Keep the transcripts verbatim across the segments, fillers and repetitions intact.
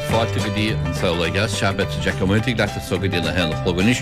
Fáilte go dtí an Saol Ó Dheas sea beidh Jack Ó Muirthigh leat anseo go dtí a haon a chlog anois.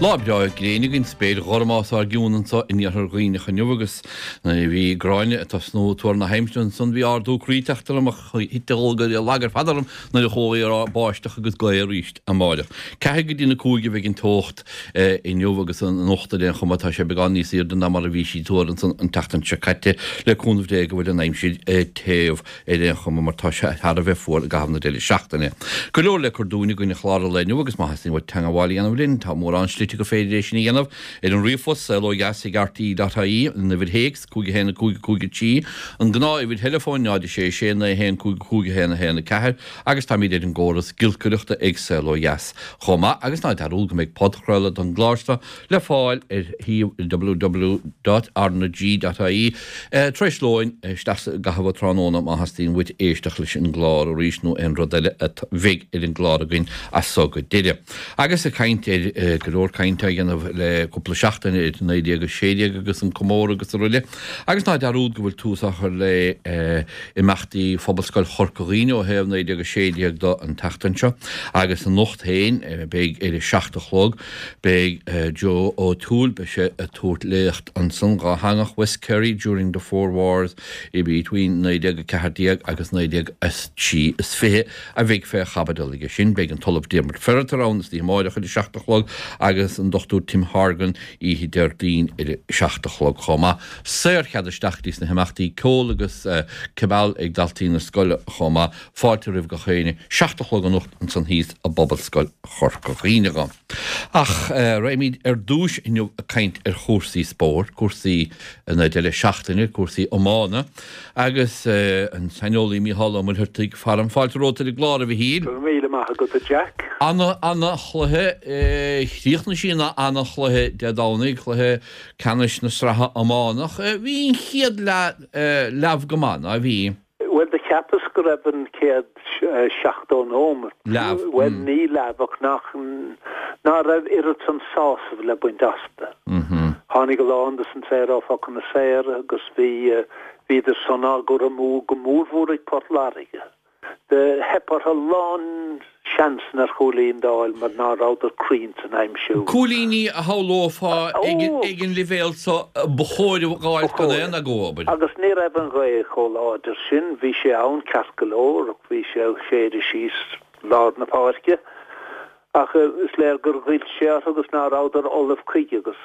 Lá breá gréine againn spéir ghorm os ár gcionn anseo in iarthar Dhuibhneach inniu agus nuair a bhí Gráinne ag tosnú ag tuar na haimsire ansan bhí ardú croí ag teacht orm ach thit an lag ar fad orm nuair a chuala í ag rá báisteach agus gaoth arís amáireach. Ceathair go dtí na cúig a bheidh an teocht inniu agus anocht ar aon chuma tá sé beagán níos airde ná mar a bhí sí tuar ansan an tseachtain seo caite le cúnamh Dé go bhfuil an aimsir tiubh ar aon chuma mar tá sé thar a bheith fuar i gcaitheamh na deireadh seachtaine. Go leor le cur dúinn againn ar chlár an lae inniu agus má theastaíonn uait teagmháil a dhéanamh linn tá mórán slite gur féidir é sin a dhéanamh ar an ríomhphost saol ó dheas ag rte dot ie, an uimhir théacs cúig a haon a cúig a cúig a trí, an gnáth-uimhir theileafóin náid a sé sé naoi a haon cúig a cúig a haon a haon a ceathair agus táimid ar an gcóras giolcaireachta ag Saol Ó Dheas chomh maith agus ná dearúd go mbeidh podchraoladh don gclár seo le fáil ar shuíomh www dot rnag dot ie tar éis lóin isteach i gcaitheamh an tráthnóna má theastaíonn uait éisteacht leis an gclár arís nó aon rud eile a bheidh ar an gclár againn as so go deireadh. Agus ag caint ar go leor cainte á dhéanamh le cúpla seachtain ar naoi déag a sé déag agus an comóradh agus araile. Agus ná dearúd go bhfuil tús á chur le imeachtaí Phobalscoil Chorca Dhuibhne ó thaobh naoi déag a sé déag do an tseachtain seo. Agus anocht féin beidh ar a seacht a chlog beidh Joe O'Toole, beidh sé ag tabhairt léacht ansan dhátheangach West Kerry during the four wars between naoi déag a ceathair déag agus naoi déag a trí is fiche a bheidh fé chaibidil aige sin. Beidh an tOllamh Diarmaid Ferriter ann istoíche amáireach ar a seacht a chlog agus an Dochtúir Tim Horgan oíche Déardaoin ar a seacht a chlog chomh maith. Saorchead isteach go dtí sna himeachtaí, ceol agus cibeal ag daltaí na scoile chomh maith. Fáilte roimh gach éinne. Seacht a chlog anocht ansan thíos i bPobalscoil Chorca Dhuibhne. Ach raghaimid ar dtúis inniu ag caint ar chúrsaí spóirt, cúrsaí na deireadh seachtaine, cúrsaí iomána agus an saineolaí Mícheál Ó Muircheartaigh faram. Fáilte romhat ar an gclár, a Mhichíl. Go raibh míle maith agat, a Jack. Ana, ana chluiche, chríochnaigh sí ina ana chluiche Dé Domhnaigh, cluiche ceannais na sraithe iománach. Bhí an chéad leath leamh go maith, ná bhí? Bhuel, do cheapas go raibh an chéad seachtó nóimeat, Leamh, bhuel, ní leamh ach nach, ná raibh oiread san sásamh le baint astu. Tháinig a lán de san saor ó phocanna saora agus bhí, bhíodar san á gcur amú go mórmhór ag Port Láirge. Do theip orthu a lán seansanna ar chúilín d'fháil mar ná rabhadar cruinn san aimsiú. Cúilíní a shamhlófá ag Ó! an leibhéal so ba chóir a dh'fháilt Ba gan chóir. aon agó, abair. Agus ní raibh an ghaoth chomh láidir sin. Bhí sé ann ceart go leor ach bhí sé ag séideadh síos lár na páirce. Ach is léir gur ghoill sé orthu agus ná rabhadar ullamh chuige agus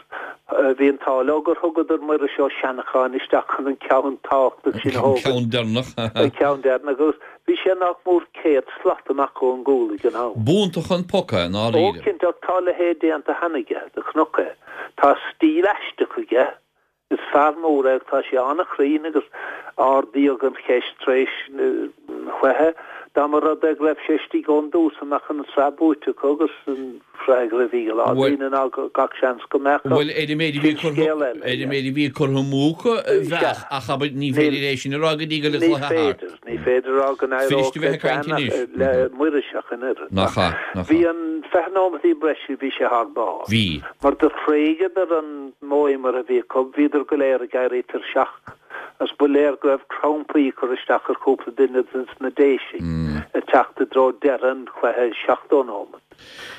bhí an t-ádh leo gur thugadar Muiris Ó Seanacháin isteach chun an ceann tábhachtach sin a An thógaint. ceann deireanach. An ceann deireanach agus bhí sé nach mór céad slat amach ón gcúl ag an am. B'iontach an poc é, i Ó, ndáiríre. cinnte, ach tá a leithéid déanta cheana aige, do chonac é. Tá stíl aisteach aige. Is fear mór é ach tá sé an-chruinn agus ardaíodh an cheist tar éis an chluiche dá mba rud é go raibh sé istigh ón dtús an mbeadh an tsraith buaite acu agus an freagra a bhí ag a lán daoine ná gach seans go mbeadh ach Bhuel, ar an méid a bhí sin curtha scéal eile. ar an méid a bhí curtha amú acu, bheadh, ach abair ní féidir é sin a rá go dtí go bhfuil an Ní cluiche thart. féidir, ní féidir a rá go Is fuirist n-éireodh a bheith le ag caint Dan ach anois. le Muiris ach an oiread. Nach Ach ea, nach bhí ea. an fiche nóimeataí breise, bhí sé thar barr. Bhí. Mar do thréigeadar an modh imeartha a bhí acu, bhíodar go léir ag éirí tuirseach, agus ba léir go raibh crampaí ag cur isteach ar chúpla duine de na Déisigh ag teacht i dtreo deireadh an chluiche seachtó nóimeat,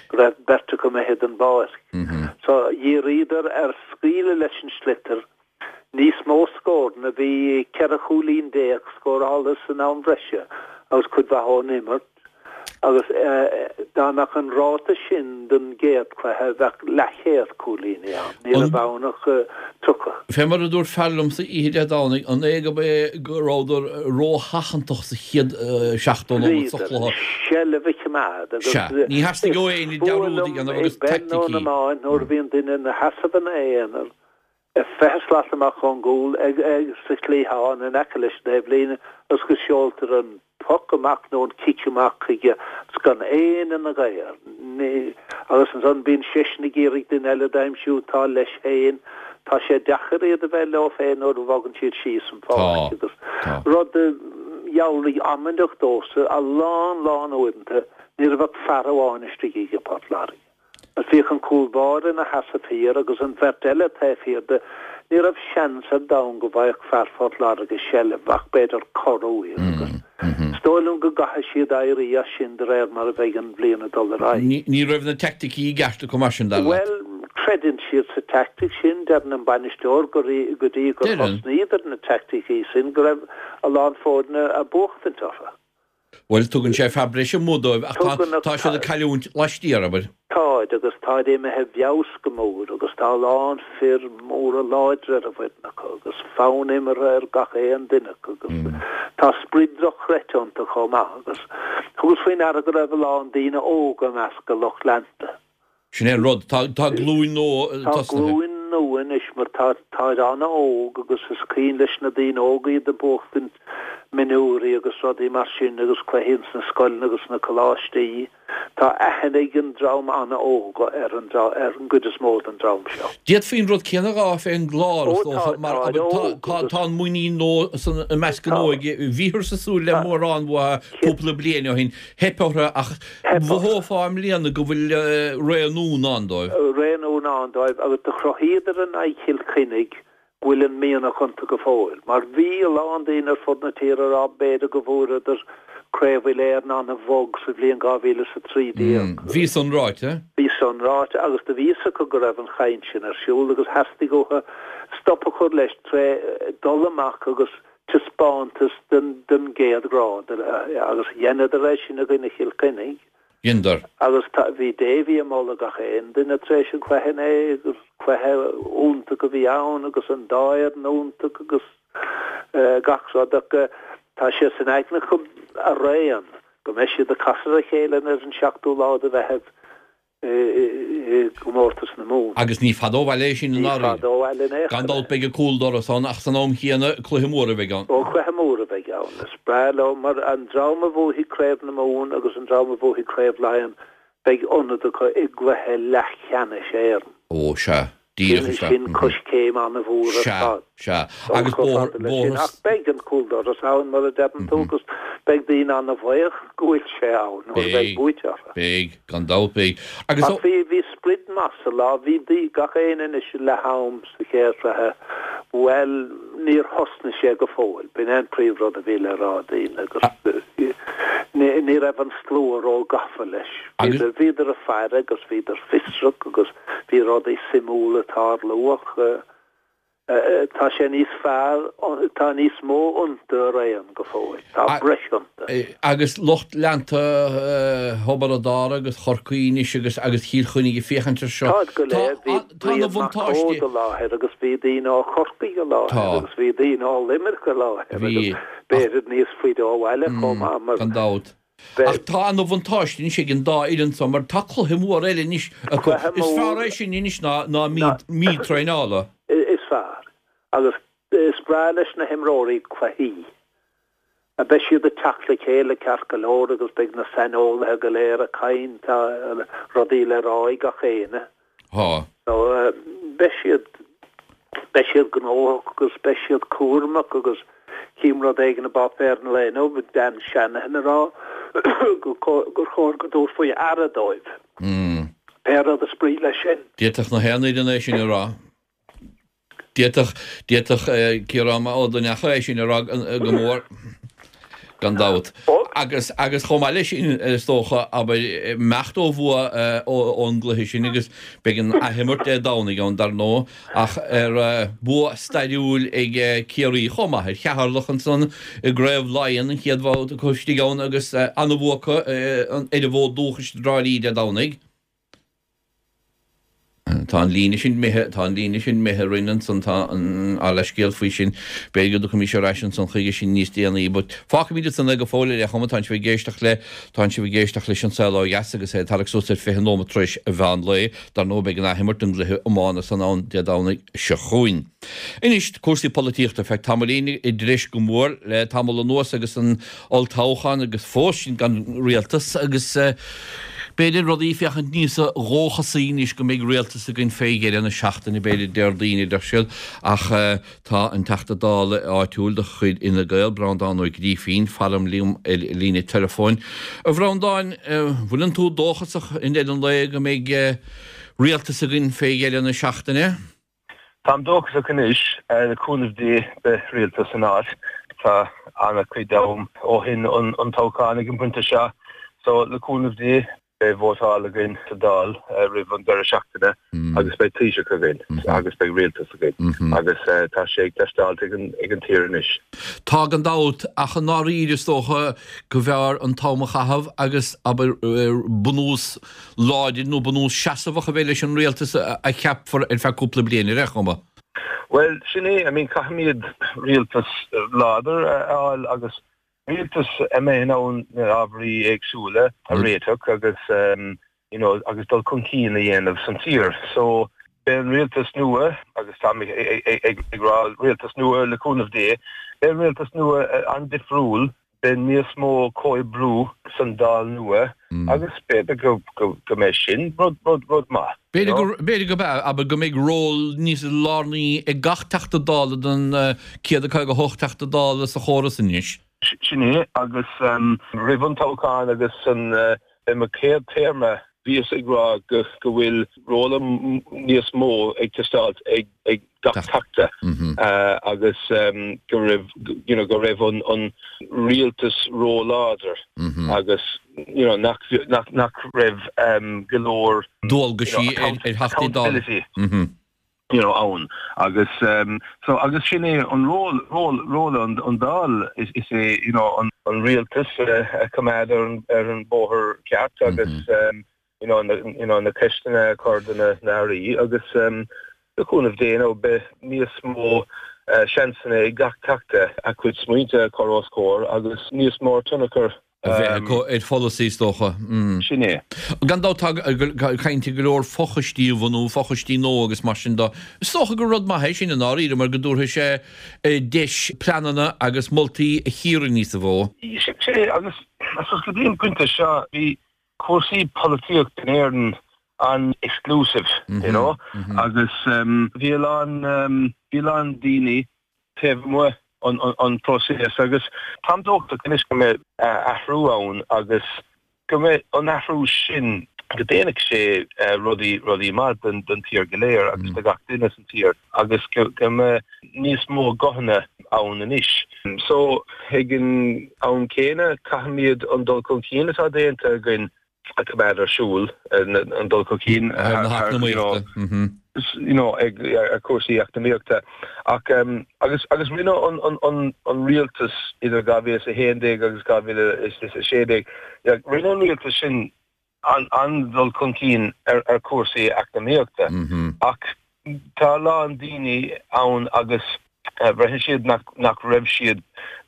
go raibh beirt acu imithe den bpáirc. So dhíríodar ar scaoileadh leis an sliotar, níos mó scóranna, bhí ceithre chúilín déag scóráilte san am bhreise agus cuid mhaith ón imirt, agus dá mbeadh an ráta sin don gcéad chluiche bheadh leathchéad cúilíní ann, ní raibh ann ach tríocha. Fé mar a dúirt fear liomsa oíche Dé Domhnaigh, an é gurb é go rabhadar rósheachantach sa chéad seachtó nóiméad sa Bhíodar, chluiche? seilbh a choimeád agus Sea, ní theastaigh is ó éinne fuath dearúd a liom dhéanamh i agus bpeil nó in taicticí. iomáint nuair a bhíonn duine ina sheasamh ina aonar fiche slat amach ón gcúl ag ag sa chliathán in aice leis an taobhlíne agus go seoltar an poc amach nó an cic amach chuige agus gan éinne ina ghair. Ní agus ansan bíonn seisean ag iarraidh duine eile d'aimsiú atá leis féin. Tá sé deacair iad a bheith leo féin nuair a bhogann siad síos an Tá. pháirc agus Tá. rud a dhealraigh amaideach domhsa a lán lán uaireanta ní raibh ach fear amháin istigh ag Port Láirge. Bhíodh an cúl báire ina sheasamh thiar agus an bheirt eile taobh thiar de. Ní raibh seans ar domhan go bhfaigheadh fear Phort Láirge seilbh ach b'fhéidir corruair agus Is dóigh liom go gcaithfidh siad éirí as sin de réir mar a bheidh an bhliain ag dul ar aghaidh. Ní raibh na teaicticí i gceart acu mar sin, dar leat? Bhuel, creideann siad sa teaictic sin. Deireann an bainisteoir go dtí gur thosnaíodar na teaicticí sin go raibh a lán foirne ag buachtaint orthu. Bhuel, tugann sé fear breise amuigh dóibh ach tá siad ag cailliúint laistiar, abair. Táid, agus táid imithe i bhfeabhas go mór agus tá a lán fir móra láidre ar an bhfoireann acu agus fonn imeartha ar gach aon duine acu agus tá sprid dochreidte iontu chomh maith agus thugas faoi ndeara go raibh a lán daoine óga i measc a lucht leanta. Sin é an rud, tá glúin nua tosaithe. Tá glúin nua anois mar tá táid an-óg agus is cuimhin leis na daoine óga iad ag buachtaint mionúirí agus rudaí mar sin agus cluichí ins na scoileanna agus na coláistí. Tá aithne ag an dream an-óg ar an ar an gcuid is mó den dream seo. D'fhéadfaí an rud céanna a rá fén gClár, is dócha, mar tá tá an muinín nua san i measc an óige. Bhíothas ag súil le mórán uathu cúpla bliain ó shin. Theip orthu ach mhothófá i mbliana go bhfuil ré nua i ndán dóibh. Ré nua i ndán dóibh agus do chruthaíodar in aghaidh Chill Chainnigh go bhfuil an mianach iontu go fóill. Mar bhí a lán daoine ar fud na tíre ag rá b'fhéidir go bhfuaireadar Craobh Uile-Éireann an-bhog sa bhliain dhá mhíle is a trí déag. Bhí san ráite. Bhí san ráite agus do bhí fhios acu go raibh an chaint sin ar siúl agus theastaigh uathu stop a chur leis tré dul amach agus taispeántas den den gcéad ghrád agus dheineadar é sin i gcoinne Chill Chainnigh. Dheineadar. Agus tá, bhí Davy ag moladh gach aon duine tar éis an chluiche inné agus cluiche iontach a bhí ann agus an dá fhoireann iontach agus gach rud ach tá sé san aigne acu araon go mbeidh siad ag casadh ar a chéile ar an seachtú lá de Mheitheamh i gcomórtas na Mumhan. Agus ní fada ó bhaile é sin i Ní ndáiríre. fada ó bhaile in aon Gan chor é. dabht beidh an cúldoras ann ach san am chéanna cluiche mór a bheidh ann. Ó cluiche mór a bheidh ann. Is breá leo mar an dream a bhuafaidh Craobh na Mumhan agus an dream a bhuafaidh Craobh Laighean beidh ionad acu i gcluiche leathcheannais Éireann. Ó sea. Díreach Sin, sin coiscéim an-mhór ar Sea, fad. sea. Dul Agus chomh bóthar, fada leis sin. bóthar. Ach beidh an cúldoras ann, mar a deireann tú, agus beidh daoine an-bhuíoch go bhfuil sé ann nuair a bheidh Beidh, buaite orthu. beidh, gan dabht beidh. Agus Ach ó. bhí, bhí sprid maith sa lá. Bhí daoine, gach éinne anois i leath am sa chéad chluiche, bhuel, níor thosnaigh sé go fóill. B'in é an príomhrud a bhí le rá ag daoine agus ní, ní raibh an slua ró-gafa leis. Agus. Bhíodar, bhíodar ag faire agus bhíodar fiosrach agus bhí rudaí suimiúla ag tarlú ach tá sé níos fearr, tá níos mó iontu araon go fóill, tá breis iontu. Agus lucht leanta Thiobraid Árann agus Chorcaí anois agus agus Chill Chainnigh ag féachaint air seo. Táid go Tá léir, bhí tá na Brian Mac bhuntáistí. Cóid i láthair agus bhí daoine ó Chorcaigh i láthair Tá. agus bhí daoine ó Luimneach i láthair Bhí agus ach b'fhéidir níos faide ó bhaile chomh maith mar gan dabht. Ach tá ana bhuntáiste anois ag an dá fhoireann so mar tá cluiche mór eile anois acu. Cluiche Is fearr mór. é sin anois ná ná mí Ná. mí traenála. Is fearr. Agus is breá leis na himreoirí cluichí. Beidh siad ag teacht le chéile ceart go leor agus beidh na saineolaithe go léir ag caint, tá rudaí le rá ag gach éinne. Tá. So beidh siad, beidh siad gnóthach agus beidh siad cúramach agus chím rud éigin i bpáipéar an lae inniu, Dan Shanahan ag rá gur chóir go dtabharfaí aire dóibh. Pé rud is brí leis sin. D'fhéadfadh na haon fhoireann é sin a rá. D'fhéadfadh, d'fhéadfadh Ciarán Ó Duinneacha é sin a rá go mór, gan dabht. Agus, agus chomh maith leis sin, is dócha, abair, imeacht ó bhua ón gcluiche sin agus beidh an athimirt Dé Domhnaigh ann, dar ndóigh, ach ar bua stairiúil ag Ciarraí chomh maith ar Cheatharlach ansan i gCraobh Laighean, an chéad bhabhta acu istigh ann agus an-bhua acu ar an bhfód dúchais i dTrá Lí Dé Domhnaigh. Tá an líne sin imithe, tá an líne sin imithe orainn ansan, tá an leithscéal faoi sin, b'fhéidir go dtiocfaimis ar ais ansan chuige sin níos déanaí, but fágfaimid ansan é go fóill ar aon chuma, tánn sibh ag éisteacht le, tánn sibh ag éisteacht leis An Saol Ó Dheas agus é ag tarrac suas ar fiche nóiméad tar éis a mheán lae, dar ndóigh beidh an athimirt den gcluiche iomána san ann Dé Domhnaigh seo chugainn. Anois, cúrsaí polaitíochta, feadh tamaillín i dtreis go mór le tamall anuas agus an olltoghchán agus fós sinn gan rialtas agus, B'fhéidir rudaí ag féachaint níos dóchasaí anois go mbeidh rialtas againn fé dheireadh na seachtaine, b'fhéidir, Déardaoin, a deir siad, ach tá an Teachta Dála áitiúil de chuid Fhine Gael, Breandán Ó Grífín, faram liom ar líne teileafóin. A Bhreandáin, bhfuileann tú dóchasach i ndeireadh an lae go mbeidh rialtas againn fé dheireadh na seachtaine? Táim dóchasach anois, le cúnamh Dé beidh rialtas in áit. Tá tá an-chuid am ó shin an an toghchán ag an bpointe seo so le cúnamh Dé beidh vótáil againn sa Dáil roimh an deireadh seachtaine agus beidh Taoiseach againn agus beidh rialtas againn agus tá sé ag teastáilt ag an ag an tír anois. Tá gan dabht ach i ndáiríre is dócha go mb'fhearr an t-am a chaitheamh agus abair bunús láidir nó bunús seasamhach a bheith leis an rialtas a cheapfar ar feadh cúpla bliain ar aon chuma. Well sin é, I mean caithfimid rialtas láidir a fháil agus rialtas a mbeidh in ann na ábhairí éagsúla a réiteach agus you know agus dul chun cinn a dhéanamh san tír. So beidh an rialtas nua agus tá mé ag rá rialtas nua le cúnamh Dé, beidh an rialtas nua an-difriúil, beidh níos mó comhoibriú san Dáil nua agus b'fhéidir go go go mbeidh sin rud rud rud maith. B'fhéidir go b'fhéidir go b'ea, abair go mbeidh ról níos lárnaí ag gach Teachta Dála den céad a caoga hocht Teachta Dála sa chóras anois. Sin é agus roimh an toghchán agus san i mo chéad téarma bhíos ag rá go go bhfuil ról níos mó ag teastáilt ag ag gach teachta agus go raibh you know go raibh an an rialtas róláidir agus you know nach nach nach raibh go leor dualgaisí ar Theachtaí Dála. you know ann agus um, so agus sin é an ról ról ról an an Dáil is is é you know an an rialtas uh, a choimeád ar an ar an bóthar ceart agus mm -hmm. um, you know na you know na ceisteanna a chur do na airí agus um, le cúnamh Dé nó beidh níos mó uh, seansanna ag gach teachta a chuid smaointe a chur os comhair agus níos mó tionchar a bheith acu ar pholasaí is dócha. Sin é. Gan dabht tá caint go leor fochoistí a bhunú, fochoistí nua agus mar sin de. Is dócha gur rud maith é sin i ndáiríre mar go dtabharfaidh sé deis pleananna agus moltaí a chíoradh níos mó. Sin é agus I suppose go dtí an pointe seo bhí cúrsaí polaitíocht in Éirinn an-exclusive, you know, agus bhí a lán bhí a lán daoine taobh amuigh an an próiseas agus táim dóchasach anois go mbeidh athrú ann agus go mbeidh an athrú sin go ndéanfaidh sé rudaí rudaí maith don don tír go léir agus do gach duine san tír agus go go mbeidh níos mó guthanna ann anois. So ag an am céanna caithfimid an dul chun cinn atá déanta againn a choimeád ar siúl an dul chun cinn na you know ag ar cúrsaí eacnamaíochta ach um, agus agus rinne an an an an rialtas idir dhá mhíle is a haon déag agus dhá mhíle is a sé déag rinne an rialtas sin an an dul chun cinn ar ar cúrsaí eacnamaíochta ach tá a lán daoine ann agus braitheann siad nach nach raibh siad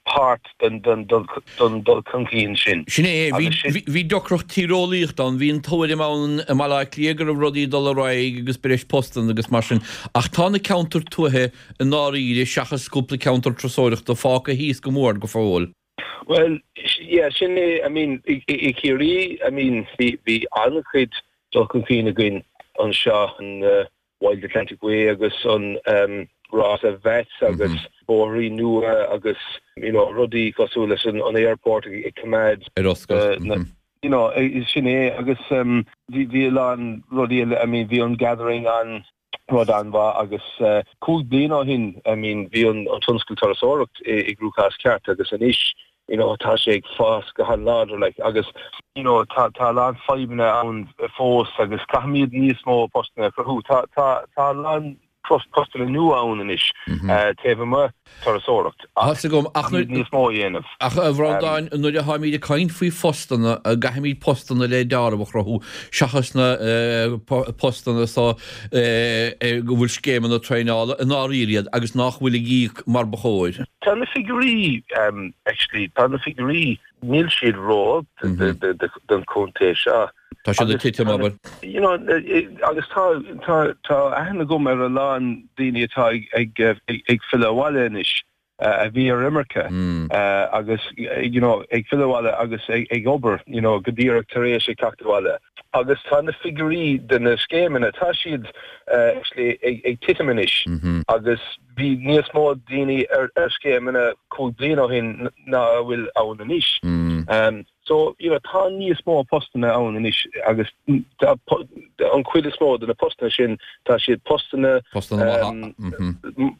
páirt den den dul dul chun cinn sin. Sin é bhí deacracht tíreolaíochta ann, bhí an tuairim ann i mBaile Átha Cliath go raibh rudaí ag dul ar aghaidh agus breis postanna agus mar sin ach tá na ceantair tuaithe i ndáiríre seachas cúpla ceantar turasóireachta fágtha thíos go mór go fóill. Well yeah sin é I mean i i Ciarraí I mean bhí bhí an-chuid dul chun cinn againn anseo an uh, Wild Atlantic Way agus an um, Rása Vets agus bóithrí nua agus you know rudaí cosúil leis an an airport ag coimeád ar oscailt. Uh, you know sin é agus um, bhí bhí a lán rudaí I mean bhí an gathering an rud an-mhaith agus uh, cúig bliana ó shin I mean bhí an an tionscal turasóireacht i, i gcruachás ceart agus anois you know tá sé ag fás go han-láidir like agus you know tá tá a lán fadhbanna ann fós agus caithfimid níos mó postanna a chruthú tá tá tá a lán postanna nua ann anois taobh amuigh turasóireacht Tá agam ach níos mó a dhéanamh. Ach a Bhreandáin nuair a tháimid ag caint faoi phostanna caithfimid postanna le dealramh a chruthú seachas na postanna so go bhfuil scéimeanna traenála i ndáiríre iad agus nach bhfuil ag íoc mar ba chóir. Tá na figiúirí um, actually tá na figiúirí níl siad ró don chontae seo. Tá siad ag titim abair. You know, agus tá tá tá aithne agam ar a lán daoine atá ag ag ag filleadh abhaile anois a bhí ar imirce agus you know, ag filleadh abhaile agus ag, ag obair you know, go díreach tar éis ag teacht abhaile. Agus tá na figiúirí de na scéimeanna tá siad uh, actually ag, ag titim anois mm -hmm. agus bhí níos mó daoine ar, ar scéimeanna cúig bliana ó shin ná a bhfuil ann anois. Mm. So, you know, tá níos mó postanna ann anois agus an chuid is mó de na postanna sin tá siad postanna postanna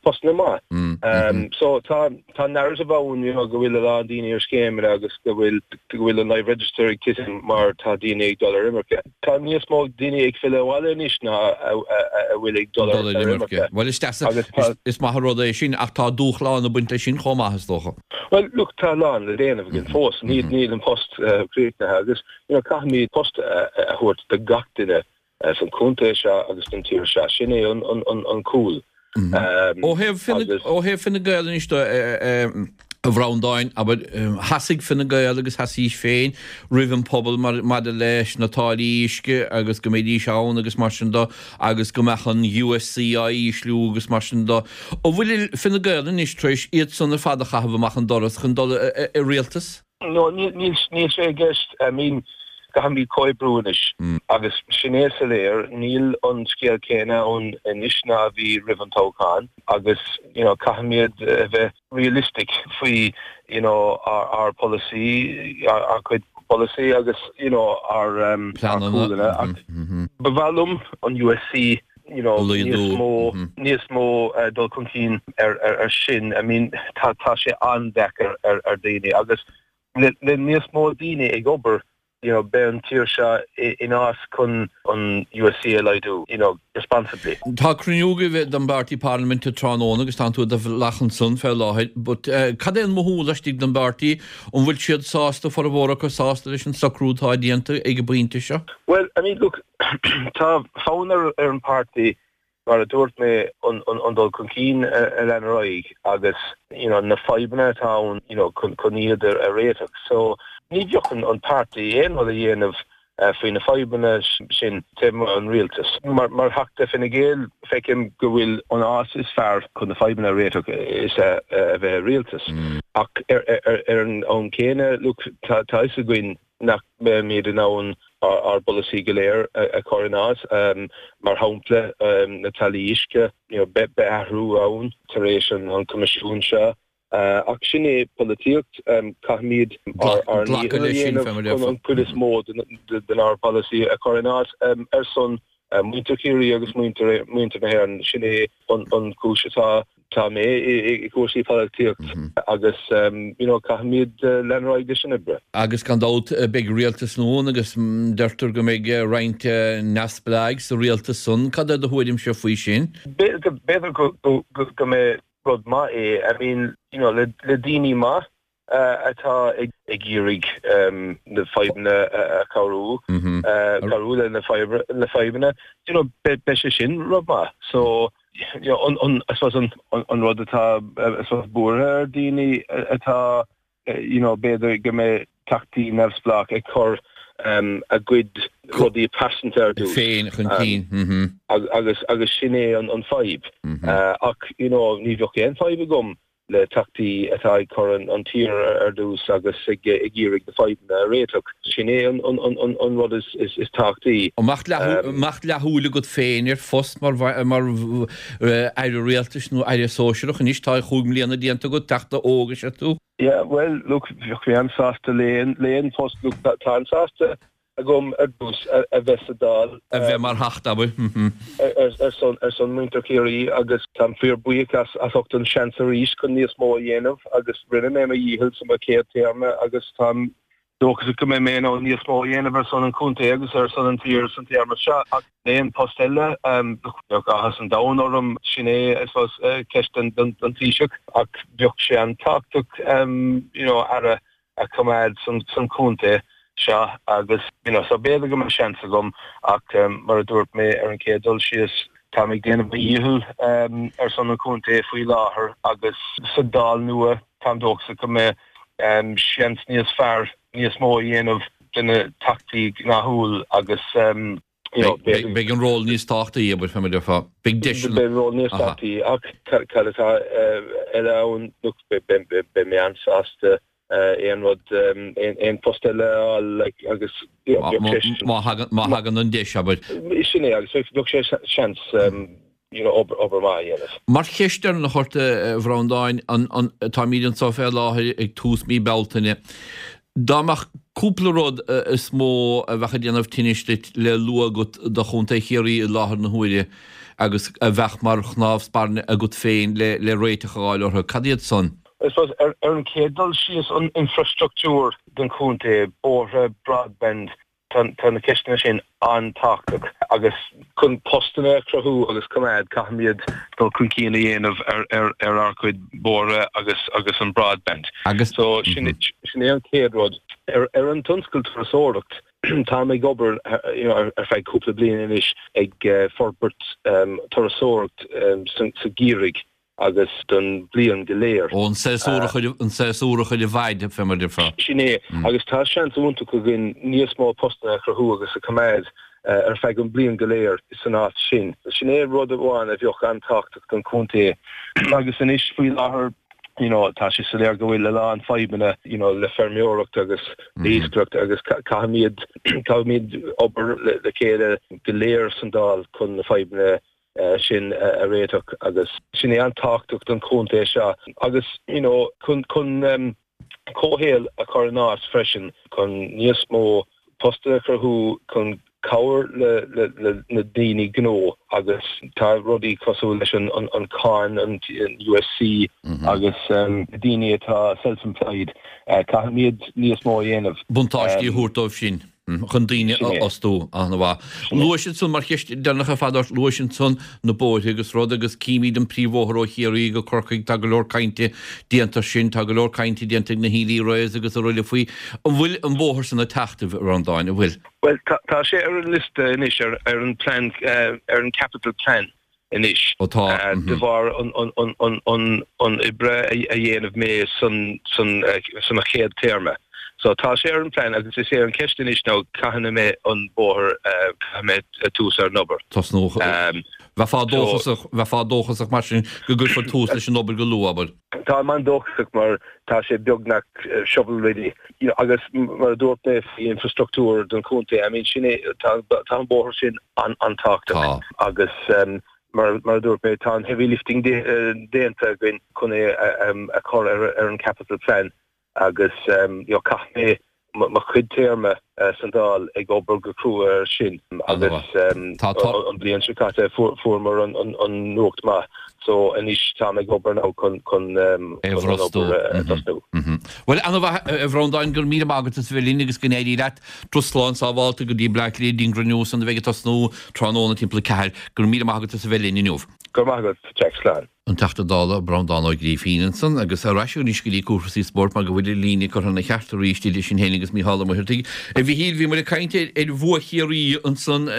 postanna maith. So tá tá narrative ann you know, go bhfuil a lán daoine ar scéimeanna agus go bhfuil go bhfuil an live register ag titim mar tá daoine ag dul ar imirce. Tá níos mó daoine ag filleadh abhaile anois ná a bhfuil ag dul ar imirce. Well is is maith rud é sin ach tá dúshlán ag baint leis sin chomh maith is dócha. Well look tá a lán le déanamh againn fós níl níl an post críochnaithe agus you know caithfimid post a thabhairt do gach duine san chontae seo agus don tír seo sin é an an an an cúl. Ó thaobh ó thaobh Fine Gael anois do a Bhreandáin abair sheasaigh Fine Gael agus sheasaís féin roimh an pobal mar maidir leis na táillí uisce agus go mbeidís ann agus mar sin do agus go mbeadh an USC á ísliú agus mar sin do. An bhfuil Fine Gael anois tar éis iad san ar fad a chaitheamh amach an doras chun dul i rialtas? No, níl níl níl sé i gceist I mean caithfimid comhoibriú anois agus sin é soiléir níl an scéal céanna ann anois ná a bhí roimh an toghchán agus you know caithfimid a bheith realistic faoi you know ár ár polasaí ár ár cuid polasaí agus you know ár um, ár cúlanna ach ba mhaith liom an USC you know níos mó níos mó uh, dul chun cinn ar ar ar sin I mean tá tá sé an-deacair ar ar daoine agus le le níos mó daoine ag obair you know beidh an tír seo in áit chun an USC a laghdú you know responsibly. Tá cruinniú agaibh den bpáirtí parlaiminte tráthnóna agus tánn tú i do bhealach ansan fé láthair, but uh, cad é an mothú laistigh den bpáirtí an bhfuil siad sásta formhór acu sásta leis an socrú atá déanta ag an bpointe seo? Well, I mean, look, tá fonn ar ar an páirtí mar a dúirt mé an an an dul chun cinn a lean ar aghaidh agus you know, na fadhbanna atá ann you know, chun chun iad a réiteach. So ní bheadh an an páirtí aon rud a dhéanamh uh, faoi na fadhbanna sin taobh an rialtas. Mar mar Theachta Fine Gael feicim go bhfuil an áit is fearr chun na fadhbanna a réiteach is a a bheith rialtas. Mm. Ach ar ar ar an am céanna look tá tá fhios againn nach mbeimid in ann ár bpolasaí go léir a chur in áit um, mar shampla um, na táillí uisce you know, beidh athrú ann tar éis an, an coimisiún seo. Uh, ach sin é polaitíocht um, caithfimid ár ár ndícheall a dhéanamh chun an chuid is mó den ár bpolasaí a chur in áit um, ar son uh, muintir Chiarraí agus muintir muintir na hÉireann sin é an, an cúis atá tá mé i gcúrsaí polaitíocht agus um, you know, caithfimid uh, lean ar aghaidh leis an obair. Agus gan dabht beidh rialtas nua agus deirtear go mbeidh roinnt neamhspleách sa rialtas san cad é do thuairimse faoi sin? B'fhéidir go go go mbeidh rud maith é I mean you know, le, le daoine maith uh, atá ag ag iarraidh um, na fadhbanna a chabhrú uh, cabhrú le na na fadhbanna you know, be, be sé sin rud maith so you know, an, an, I suppose an, an, an rud atá I suppose buartha ar daoine atá you know, b'fhéidir go mbeidh teachtaí neamhspleách ag cur um, a gcuid rudaí pearsanta ar dtús. Féin chun cinn. Um, agus agus sin é an, an fadhb. Mm -hmm. uh, ach you know, ní bheadh aon fadhb agam le teachtaí atá ag cur an, an tír ar dtús agus ag ag iarraidh na fadhbanna a réiteach. Sin é an, an, an, an, an rud is, is, is tábhachtaí. An mbeadh um, leathshúil agat féin ar phost mar mar aire rialtais nó aire sóisearach anois tá chúig mbliana déanta agat teachta óg is ea tú? Yeah, well, look, bheadh mé an-sásta le le aon post look, tá an-sásta agam ar dtús a bheith sa Dáil. A bheith mar theachta abair. Ar son ar son muintir Chiarraí agus táim fíorbhuíoch as as ucht an seans arís chun níos mó a dhéanamh agus rinne mé mo dhícheall sa mo chéad téarma agus táim dóchasach go mbeidh mé in ann níos mó a dhéanamh ar son an chontae agus ar son an tír san téarma seo ach le aon post eile bheadh áthas an domhain orm sin é I suppose ceist don don Taoiseach ach bheadh sé an-tábhachtach you know aire a choimeád san san chontae seo agus you know so b'fhéidir go mbeidh seans agam ach um, mar a dúirt mé ar an chéad dul síos táim ag déanamh mo dhícheall um, ar son an chontae faoi láthair agus sa Dáil nua táim dóchasach go mbeidh um, seans níos fearr níos mó a dhéanamh de na teachtaí gnáthúil agus um, you know, Beidh an ról níos tábhachtaí abair fé mar a déarfá. Beidh deis Beidh ról níos tábhachtaí ach cad atá eile ann look beidh mé an-sásta aon rud aon post eile a fháil like agus Má thagann an deis abair. Sin é agus bheadh sé seans you know, obair obair maith a dhéanamh. Mar cheist dheireanach ort a Bhreandáin táimid anseo fé láthair ag tús mí Bealtaine. Dá mbeadh cúpla rud is mó a bheadh ag déanamh tinnis duit le lua agat do Chontae Chiarraí i láthair na huaire agus a bheadh mar chnámh spairne agat féin le le réiteach a fháil orthu, cad iad san? I suppose ar ar an chéad dul síos an infrastructúr don chontae, bóithre, broadband, tá tá na ceisteanna sin an-tábhachtach agus chun postanna a chruthú agus coimeád caithfimid dul chun cinn a dhéanamh ar ar ar ár gcuid bóithre agus agus an broadband. Agus So sin sin é an chéad rud. Ar ar an tionscal turasóireacht táim ag obair you know, ar ar feadh cúpla bliain anois ag uh, forbairt um, turasóireacht um, sa, sa gheimhreadh agus don bliain go léir. Ó an séasúr an séasúr a chur i bhfeidhm fé mar a déarfá. Sin é agus tá seans iontach againn níos mó postanna a chruthú agus a choimeád uh, ar feadh an bliain go léir san áit sin. Sin é rud amháin a bheadh an-tábhachtach don chontae agus anois faoi láthair you know, tá sé soiléir go bhfuil a lán fadhbanna you know, le feirmeoireacht agus mm. iascaireacht agus caithfimid caithfimid obair le, le chéile go léir san Dáil chun na fadhbanna uh, sin uh, a réiteach agus sin é an-tábhachtach don chontae seo agus you know, chun chun um, comhshaol a chur in áit freisin chun níos mó postanna a chruthú chun cabhair le, le, le na daoine gnó agus tá rudaí cosúil leis an, an, an cáin an, an USC mm -hmm. agus um, daoine atá self-employed uh, caithfimid níos mó a dhéanamh. Buntáistí um, thabhairt dóibh sin chun daoine a fhostú an-mhaith. Luaigh ansan mar cheist deireanach ar fad luaigh ansan na bóithre agus rud agus címid an príomhbhóthar ó Chiarraí go Corcaigh tá go leor cainte déanta sin tá go leor cainte déanta na Healy-Raes agus araile faoi an bhfuil an bóthar san ag teacht a Bhreandáin an bhfuil. Well tá sé ar an liosta anois ar ar an plan uh, ar an capital plan anois tá uh, de bharr an an an an an an oibre a dhéanamh mé san san uh, san a chéad téarma. So tá sé ar an plan agus is é an ceist anois ná cathain a mbeidh an bóthar mé tús ar an obair. Tosnú bheifeá dóchasach bheifeá dóchasach mar sin go gcuirfear tús leis an obair go luath abair. Tá mé dóchasach mar tá sé beagnach shovel ready you know, agus mar dúirt mé faoi infrastructúr don chontae I mean sin é tá tá an bóthar sin an an-tábhachtach agus um, mar mar dúirt mé tá an heavy lifting déanta againn chun é a chur ar ar an capital plan agus um, you know, chaith mé mo chuid téarma uh, san Dáil ag obair go crua ar sin agus um, an bliain seo caite fuaireamar an, an, an nuacht maith so anois tá ag obair ná chun chun um, tosnú. Well an-mhaith a Bhreandáin go raibh míle maith agat as bheith linn agus go n-éirí leat turas slán sábháilte go dtí Bleá Cliath don gcruinniú san a bheidh ag tosnú tráthnóna timpeall a ceathair go raibh míle maith agat as bheith linn inniu. Go raibh maith agat Jack slán. An Teachta Dála Breandán Ó Grífín ansan agus ar ais anois go dtí cúrsaí spóirt mar go bhfuil an líne curtha ina cheart arís idir sinn féin agus Mícheál Ó Muircheartaigh. A Mhíchíl bhí muid ag caint ar bhua Chiarraí ansan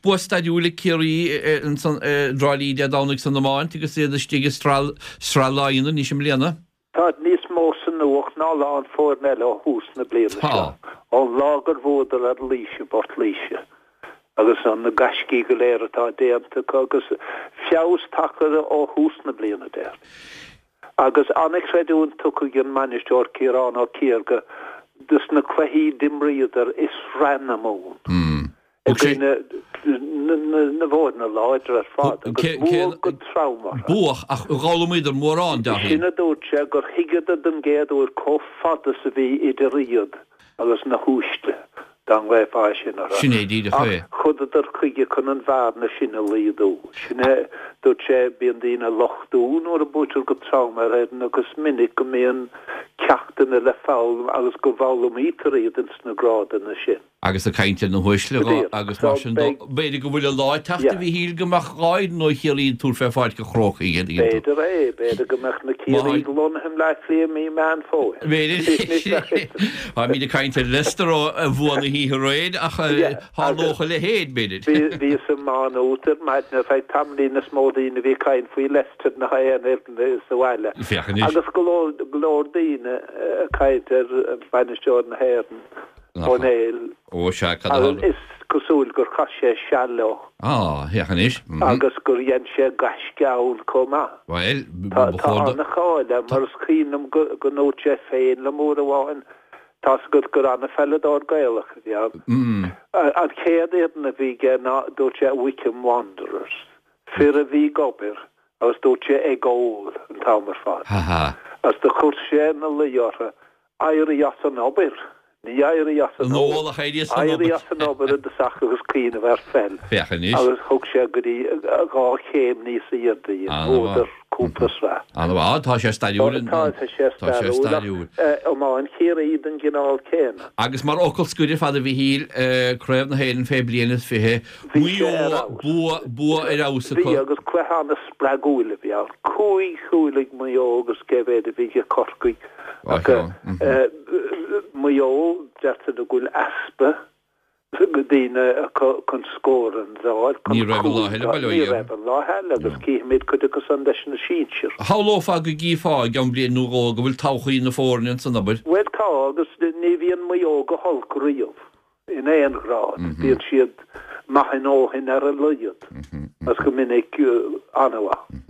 bua stairiúil ag Ciarraí ansan i dTrá Lí Dé Domhnaigh san iomáint agus iad istigh i Sraith Sraith Laighean anois i mbliana. Tá níos mó sa nuacht ná a lán foirne eile ó thús na bliana seo, ón lá gur bhuadar ar Laois i bPort Laoise. agus an na gaiscí go léir atá déanta acu agus feabhas tagtha ó thús na bliana déarfainn. Agus an-chreidiúint tugtha ag an mbainisteoir Ciarán Ó Ciardha dos na cluichí d'imríodar i Sraith na Mumhan i gcoinne na bhfoirne láidre ar fad agus buadh go trom orthu. Buadh ach d'fhoghlaimíodar mórán, déarfainn. Sin a dúirt sé gur thuigeadar den gcéad uair chomh fada is a bhí idir iad agus na huaisle, dá nglaofá sin orthu. Sin é díreach é. Ach chuadadar chuige chun an bhearna sin a laghdú. Sin é, dúirt sé, bíonn daoine ag lochtú nuair a buaitear go trom ar fhoireann agus is minic go mbíonn ceachtanna le foghlaim agus go bhfoghlaimítear iad ins na grádanna sin. Agus ag caint ar na huaisle agus mar sin de, b'fhéidir go bhfuil an lá ag teacht a Mhíchíl go mbeadh dhá fhoireann ó Chiarraí ag tabhairt fé Pháirc an Chrócaigh. B'fhéidir é, b'fhéidir go mbeadh na Ciarraígh lonnaithe i mBleá Cliath i mí Meán Fómhair. B'fhéidir. Táimid ag caint ar Leicester ó bhua na hoíche aréir ach tharlódh a leithéid, b'fhéidir. Bhíos i Má Nuat ar maidin ar feadh tamaillín is mó daoine a bhí ag caint faoi Leicester ná aon fhoireann sa bhaile. Féach anois. Agus go leor daoine ag caint ar bhainisteoir na hÉireann, Ó Néill. Ó sea, cad a tharla? Is cosúil gur chaith sé seal leo. Á, féach anois. Agus gur dhein sé gaisce ann chomh maith. Bhuel, ba Tá chóir do. an-cháil air, mar is cuimhin liom go ndúirt sé féin liom uair amháin, tá's agat gur an-pheileadóir Gaelach a bhí ann. An chéad fhoireann a bhí aige ná, dúirt sé, Wycombe Wanderers. Fir a bhí ag obair agus dúirt sé ag ól an t-am ar fad. Ha ha. Agus do chuir sé ina luí orthu Éirí as an obair. Ní éirí as an ól ach éirí as an Éirí obair. as an obair i dtosach agus cuimhneamh ar pheil. Féach anois. Agus thug sé go dtí dhá chéim níos airde iad. An-mhaith. Bhuadar cúpla sraith. An-mhaith, tá sé stairiúil. Tá tá sé Tá sé stairiúil. stairiúil. Iomáint Chiarraí den gcineál céanna. Agus mar fhocal scoir fad a Mhichíl, Craobh na hÉireann fé bliain is fiche, Bhí Maigh sé ar Eo, fheabhas. bua bua ar fheabhas Bhí acu. agus cluiche an-spreagúil a bhí ann. Cúig chúl ag Maigh Eo agus cé mhéad a bhí ag Corcaigh. Á, Ach, ceann, mhm. eh, Maigh Eo deirtear go bhfuil easpa go daoine acu chun scóranna a fháil, chun Ní raibh an lá cúil eile, a- bail ó Ní Dhia. raibh an lá eile agus cífimid cuid acu san leis na sinsir. Shamhlófá go gcífeá i gceann bliain nó dhó go bhfuil todhchaí na foirne ansan abair. Bhuel tá agus ní bhíonn Maigh Eo go holc riamh in aon ghrád. Bíonn siad maith a ndóthain ar a laghad. Agus go minic eh, an-mhaith.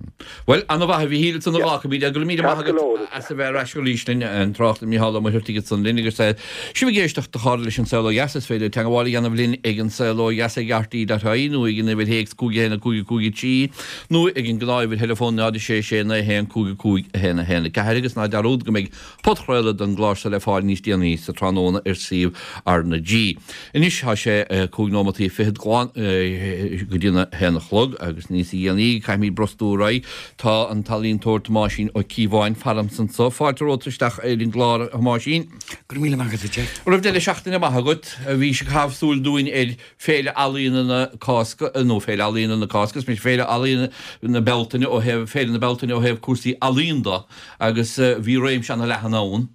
Well, an-mhaith a Mhichíl san a bhí go mí Ceart go leor. as a bheith ar ais arís linn an tráchtaire Mícheál Ó Muircheartaigh san linn agus sibh ag éisteacht a chairde leis an Saol Ó Dheas is féidir teagmháil a dhéanamh linn ag an Saol Ó Dheas ag RTÉ.ie nó ag an uimhir théacs cúig a haon cúig cúig trí nó ag an gnáth-uimhir theileafóin náid sé sé naoi haon cúig cúig a haon a haon a ceathair agus ná dearúd go mbeidh podchraoladh den gclár seo le fáil níos déanaí sa tráthnóna ar suíomh R na G. Anois tá sé eh, cúig nóimeataí fichead glan eh, go dtí a haon a chlog agus níos déanaí caithfimid brostú ar aghaidh tá an t-ealaíontóir Tomáisín Ó Cíobháin faramsa anseo fáilte romhat isteach ar an gclár Thomáisín. Go raibh míle maith agat Jack. Raibh deireadh seachtaine maith agat a bhí sé caitheamh súil dúinn ar Féile Ealaíona na Cásca nó Féile Ealaíona na Cásca, is Féile Ealaíona na Bealtaine ó thaobh Féile na Bealtaine ó thaobh cúrsaí ealaíon de agus eh, bhí réimse an-leathan ann.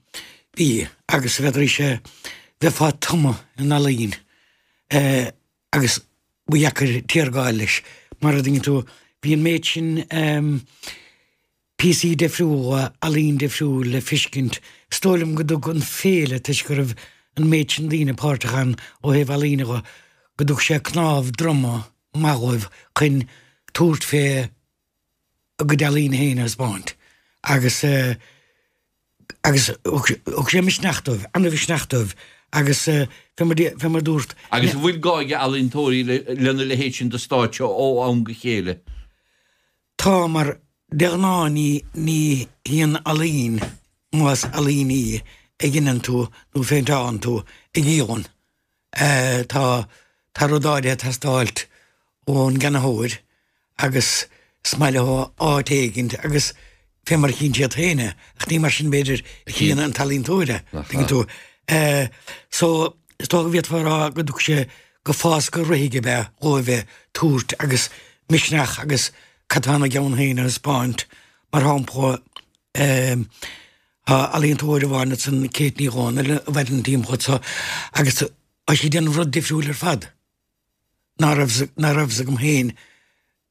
Bhí agus bhí sé bheifeá tumtha in ealaín eh, agus ba dheacair tiargáil leis mar a dtuigeann tú bhí an méid sin um, píosaí difriúla ealaín difriúil le feiscint Is dóigh liom go dtug an féile toisc go raibh an méid sin daoine páirteach ann ó thaobh ealaíne go go dtug sé cnámh droma maith dóibh chun tabhairt fé a gcuid ealaín féin a thaispeáint agus uh, agus thug sé misneach dóibh an-mhisneach dóibh agus uh, fé mar fé mar dúirt Agus bhfuil gá ag ealaíontóirí lena leithéid sin de stáitse ó am go chéile. Tá mar de ghnáth ní ní híon ealaín más ealaín í a dhéanann tú nó féinteáin tú ag íon. Uh, tá tá rud áirithe ag teastáil ón gceannaitheoir agus smaile áit éigin agus fé mar chíonn siad féin é, ach ní mar sin b'fhéidir a chíonn an t-ealaíontóir tuigeann tú. Uh, so is dócha go bhféadfá rá go dtug sé go fás go rithige be dhóibh tabhairt agus misneach agus cad tá ina gceann féin a thaispeáint mar shampla um, ealaíontóir amháin san Kate Ní Dhomhnaill a bheith an tíim chut agus tá sí ag déanamh rud difriúil ar fad. Ná raibh agam féin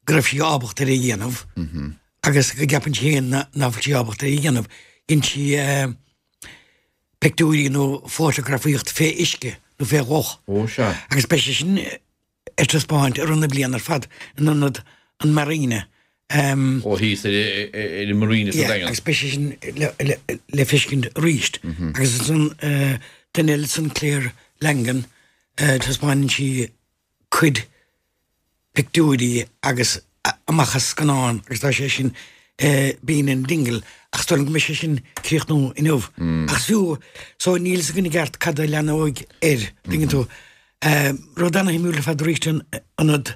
go raibh sí ábalta ar a dhéanamh agus go gceapann sí féin nach bhfuil sí ábalta ar a dhéanamh. Dhein sí uh, pictiúirí nó fótagrafaíocht fé uisce nó fé loch. Ó sea. Agus beidh sé sin ar taispeáint ar an bliain ar fad in ionad an Marina. Um, Ó thíos ar ar an Marina sa yeah, Daingean. agus beidh sé sin le, le, le feiscint arís. Agus san uh, duine eile san Claire Langan uh, taispeánann sí cuid pictiúirí agus a- amach as scannán agus tá sé sin uh, bíon in Dingle ach go mbeidh sé sin críochnú inniu. Ach fiú so níl a fhios againn i gceart cad a leanfaidh air tuigeann tú. Uh, rud an-shuimiúil ar fad arís in ionad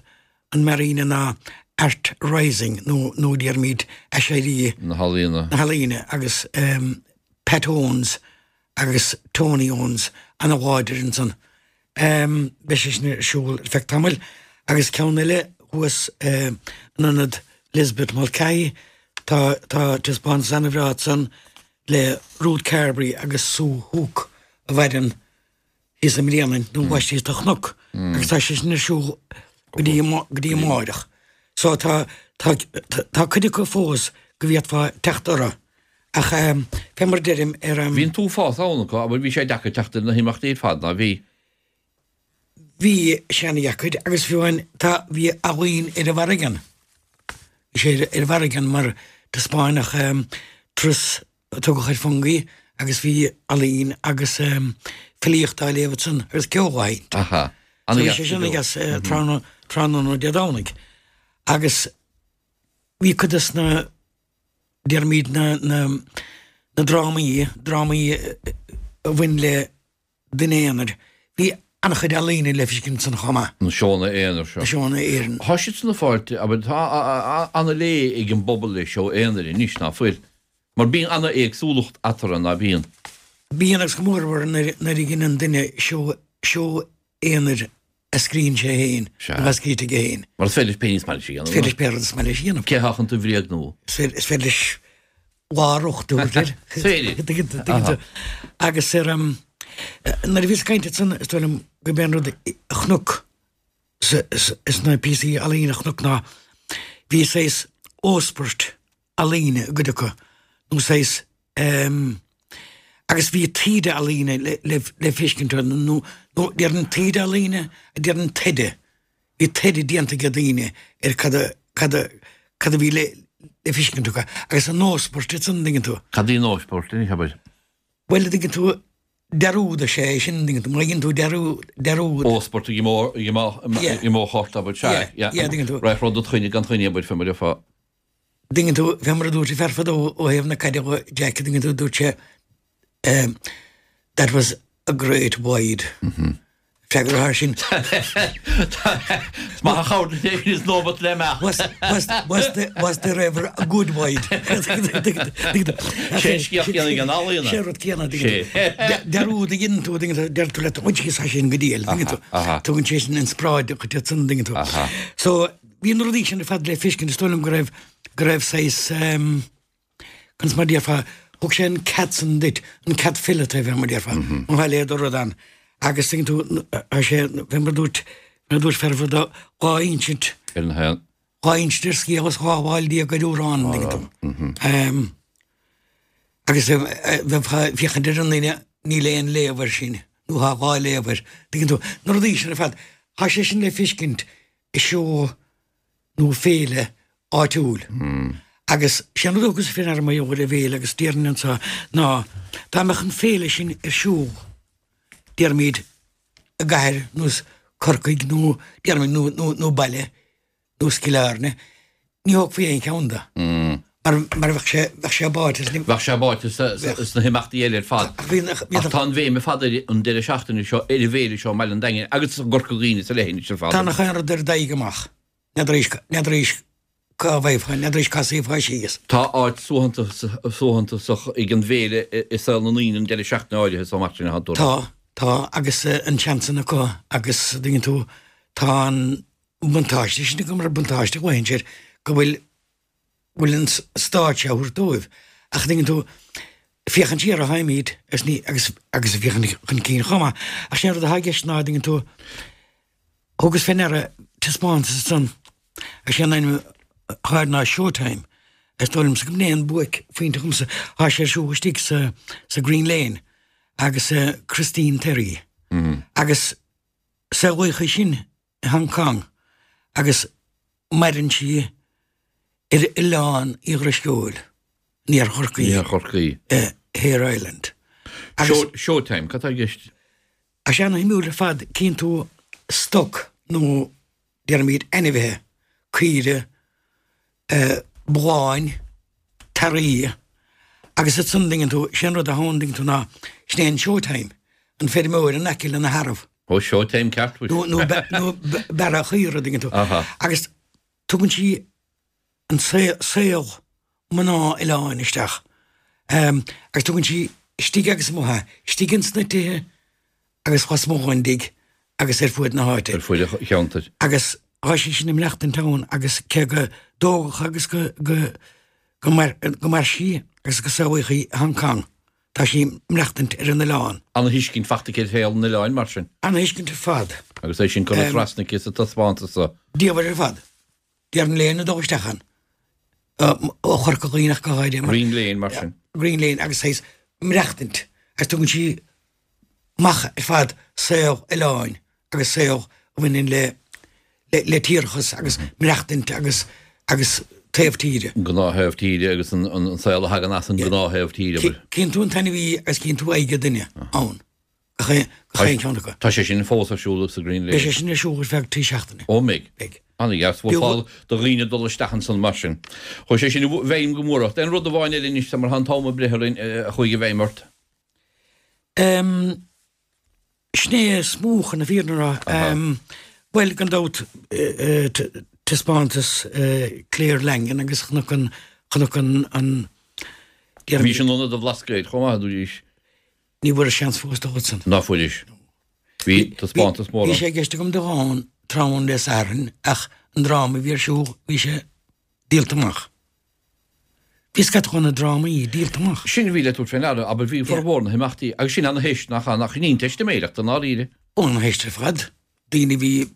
an Marina ná Art Rising nó nó déarfaimid aiséirí Na healaíona. na healaíona agus um, Pat Owens agus Tony Owens an-láidir ansan. Um, Beidh sé sin ar siúl ar feadh tamaill agus ceann eile thuas um, in ionad Lisbeth Mulcahy tá tá taispeántas an-bhreá san le Ruth Carberry agus Sue Hook a bhaineann thíos i mBrianain nó bhaistí a chnoc agus tá sé sin ar siúl go dtí go dtí amárach. So tá tá tá tá cuid acu fós go bhféadfá teacht orthu. Ach um, fé mar deirim ar um, Bhí an t-uafás ann acu, abair bhí sé deacair teacht ar na himeachtaí ar fad ná bhí. bhí sé an-deacair agus fiú amháin tá bhí ealaín ar an bhfarraige. Bhí sé ar an bhfarraige mar taispeánadh um, turas a tugadh ar Fungie agus bhí ealaín agus um, filíocht á léamh san agus ceol á sheinnt. Aha. So bhí sé sin agus uh, tráthnóna Dé Domhnaigh. Agus bhí cuid des na déarfaimid na, na, na drámaí, drámaí eh, a bhain le duine aonair, bhí an-chuid ealaíne le feiscint ansan chomh maith. Na seónna aonair seo. Na seónna aonair. Tá siad san ag fáilt, abair, tá an-lé ag an bpobal le seó aonair anois, ná fuil? Mar bíonn an-éagsúlacht eatarthu, ná bíonn? Bíonn agus go mórmhór nuair a dheineann duine seó, seó aonair a scríonn sé féin nó atá scríte aige féin. Mar is féidir leis pé ní is maith leis a dhéanamh. Is féidir leis pé rud is maith leis a dhéanamh. Cé atá chun tú a bhréagnú? Is féidir leis lár-uchtú a thabhairt air. Is féidir. Agus ar nuair a bhíos ag caint ansan is dóigh liom gurb é an rud a chonac sna píosaí ealaíne a chonac ná bhí saghas óspairt ealaíne i gcuid acu nó saghas agus bhí taoide ealaíne le feiscint orthu nó nó déarfainn taoide ealaíne déarfainn taighde bhí taighde déanta ag daoine ar cad a cad a cad a bhí le le feiscint acu agus an nóspairt ansan an dtuigeann tú. Cad í nóspairt anois abair? Bhuel an dtuigeann tú dearúd is ea é sin an dtuigeann tú má dhéanann tú dearúd dearúd. Óspairt i mo i mo i mo chairt abair sea yeah yeah dtuigeann tú. Raibh rud do choinne gan choinne abair fé mar a déarfá. dtuigeann tú, fé mar a dúirt an fear fadó ó thaobh na caide dhe, Jack, dtuigeann tú, dúirt sé, ehm, that was a great wide. Freagra thar sin. Is maith an chabhair duit é sin is nóimeat le imeacht. Was, was, was the, was there ever a good wide? Sé an scéal céanna ag an ealaíona. Sé an rud céanna, dtuigeann tú. Dearúd a dhéanann tú, dtuigeann tú, deir tú leat, bhain sé sin go diail, dtuigeann tú. Tugann sé sin inspioráid dhuit ansan, dtuigeann tú. So, Bhí na rudaí sin ar fad le feiscint, is dóigh liom go raibh, go raibh saghas ehm, conas mar a déarfá, thug sé an cead san duit, an cead fileata fé mar a déarfá, má tá a leithéid de rud ann. Agus tuigeann tú, tá sé, fé mar a dúirt, mar a dúirt fear fadó, dhá insint, Ar an haon. dhá insint ar scéal is dhá fháil déag ar amhrán, tuigeann tú. Ehm, agus bheifeá ag féachaint ar an duine, níl aon léamh air sin, nó tá dhá léamh air, tuigeann tú. Na rudaí sin ar fad, tá sé sin le feiscint i seó nó féile áitiúil. Agus sé an rud a thugas fé ndeara mar gheall ar an bhféile agus déarfainn anseo ná dá mbeadh an féile sin ar siúl déarfaimid i gcathair nós Corcaigh nó déarfaimid nó nó nó baile nós Cill Airne ní thógfaí aon cheann de. Mar mar bheadh sé bheadh sé báite sna Bheadh sé báite sna himeachtaí eile ar fad. Ach bhí Ach tá an bhéim ar fad ar an deireadh seachtaine seo ar an bhféile seo i mBaile an Daingin agus i gCorca Dhuibhne sa leithinis ar fad. Tá nach aon rud ar d'aghaidh amach. N'fheadar n'fheadar cá bhfaighfeá, n'fheadar cá suífeá síos. Tá áit suaitheantasach ag an bhféile i saol na ndaoine an deireadh seachtaine áirithe so mar sin atá tú a rá. Tá, tá agus an seans san acu agus an dtuigeann tú tá an buntáiste sin acu mar buntáiste a ghlaonn siad go bhfuil bhfuil an stáitse á thabhairt dóibh ach an dtuigeann tú, féachaint siar a tháimid agus ní, agus, agus féachaint chun cinn chomh maith ach sé an rud atá i gceist ná an dtuigeann tú, thugas fé ndeara taispeántas ansan agus sé an ainm atá air ná Showtime is dóigh liomsa go mb'in é an buaicphointe dhomsa, tá sé ar siúl istigh sa, sa Green Lane agus Christine Terry agus saolaíodh í sin i Hong Kong agus maireann sí ar Oileán Uí Dhrisceoil, in Iarthar Chorcaí. Iarthar Chorcaí. Hare Island. Agus. Showtime, cad tá i gceist? Tá sé ana-shuimiúil ar fad, cíonn tú stoc nó déarfaimid ainmhithe, caoire, bulláin, earraí, agus ansan an dtuigeann tú, sé an rud atá ann an dtuigeann tú ná, sin é an showtime, an feirmeoir in aice lena shearbh. Ó, showtime ceart, nó nó bearradh chaora, an dtuigeann tú. Agus tugann sí an saol mná oileáin isteach agus tugann sí istigh agus amuigh é, istigh ins na tithe agus lasmuigh den dtigh agus ar fuaid na háite. Ar fuaid an cheantair. Agus tá sí sin ag maireachtaint ann agus cé go dtógadh agus go go go go mair sí agus go saolaíodh í i Hong Kong, tá sí ag maireachtaint ar an oileán. Ana-thuiscint fachta aici ar shaol an oileáin mar sin. Ana-thuiscint ar fad. Agus é sin curtha trasna aici sa taispeántas so. Diamhair ar fad. Déarfainn le haon duine dul isteach ann, ó Chorca Dhuibhne ach go háirithe. Green Lane mar sin. Green Lane agus saghas maireachtaint agus tugann sí amach ar fad saol oileáin agus saol a bhaineann le le tíreachas agus maireachtaint agus agus taobh tíre. An gnáth-thaobh tíre agus an saol a thagann as an ngnáth-thaobh tíre. Cíonn tú an t-ainmhí agus cíonn tú aghaidh an duine ann. Gach aon cheann acu. Tá sé sin fós ar siúl sa Green Lane. Beidh sé sin ar siúl ar feadh trí seachtaine. Ó mbeidh. Beidh. Ana-dheas. Bhfuil fáil do dhaoine dul isteach ansan mar sin. Chuaigh sé sin i bhfeidhm go mór ort. Aon rud amháin eile anois mar tá an t-am ag breith orainn a chuaigh i bhfeidhm ort? Um, Sin é is mó chun na fírinne a rá. Um, bhuel, gan dabht uh, uh, taispeántas uh, Claire Langan agus chonac an chonac an an Bhí sin in Ionad an Bhlascaoid chomh maith dúís. Ní bhfuair seans fós dul san. Ná fuairis. Bhí taispeántas mór. Bhí sé i gceist agam dul ann tráthnóna Dé Sathairn ach an dráma a bhí ar siúl bhí sé díolta amach. Bhí scata de na drámaí díolta amach. Sin a bhí le tabhairt faoi ndeara, abair bhí formhór na himeachtaí agus sin ana-theist nach nach in aon teistiméireacht i ndáiríre. Ó ana-theist ar fad. Daoine bhí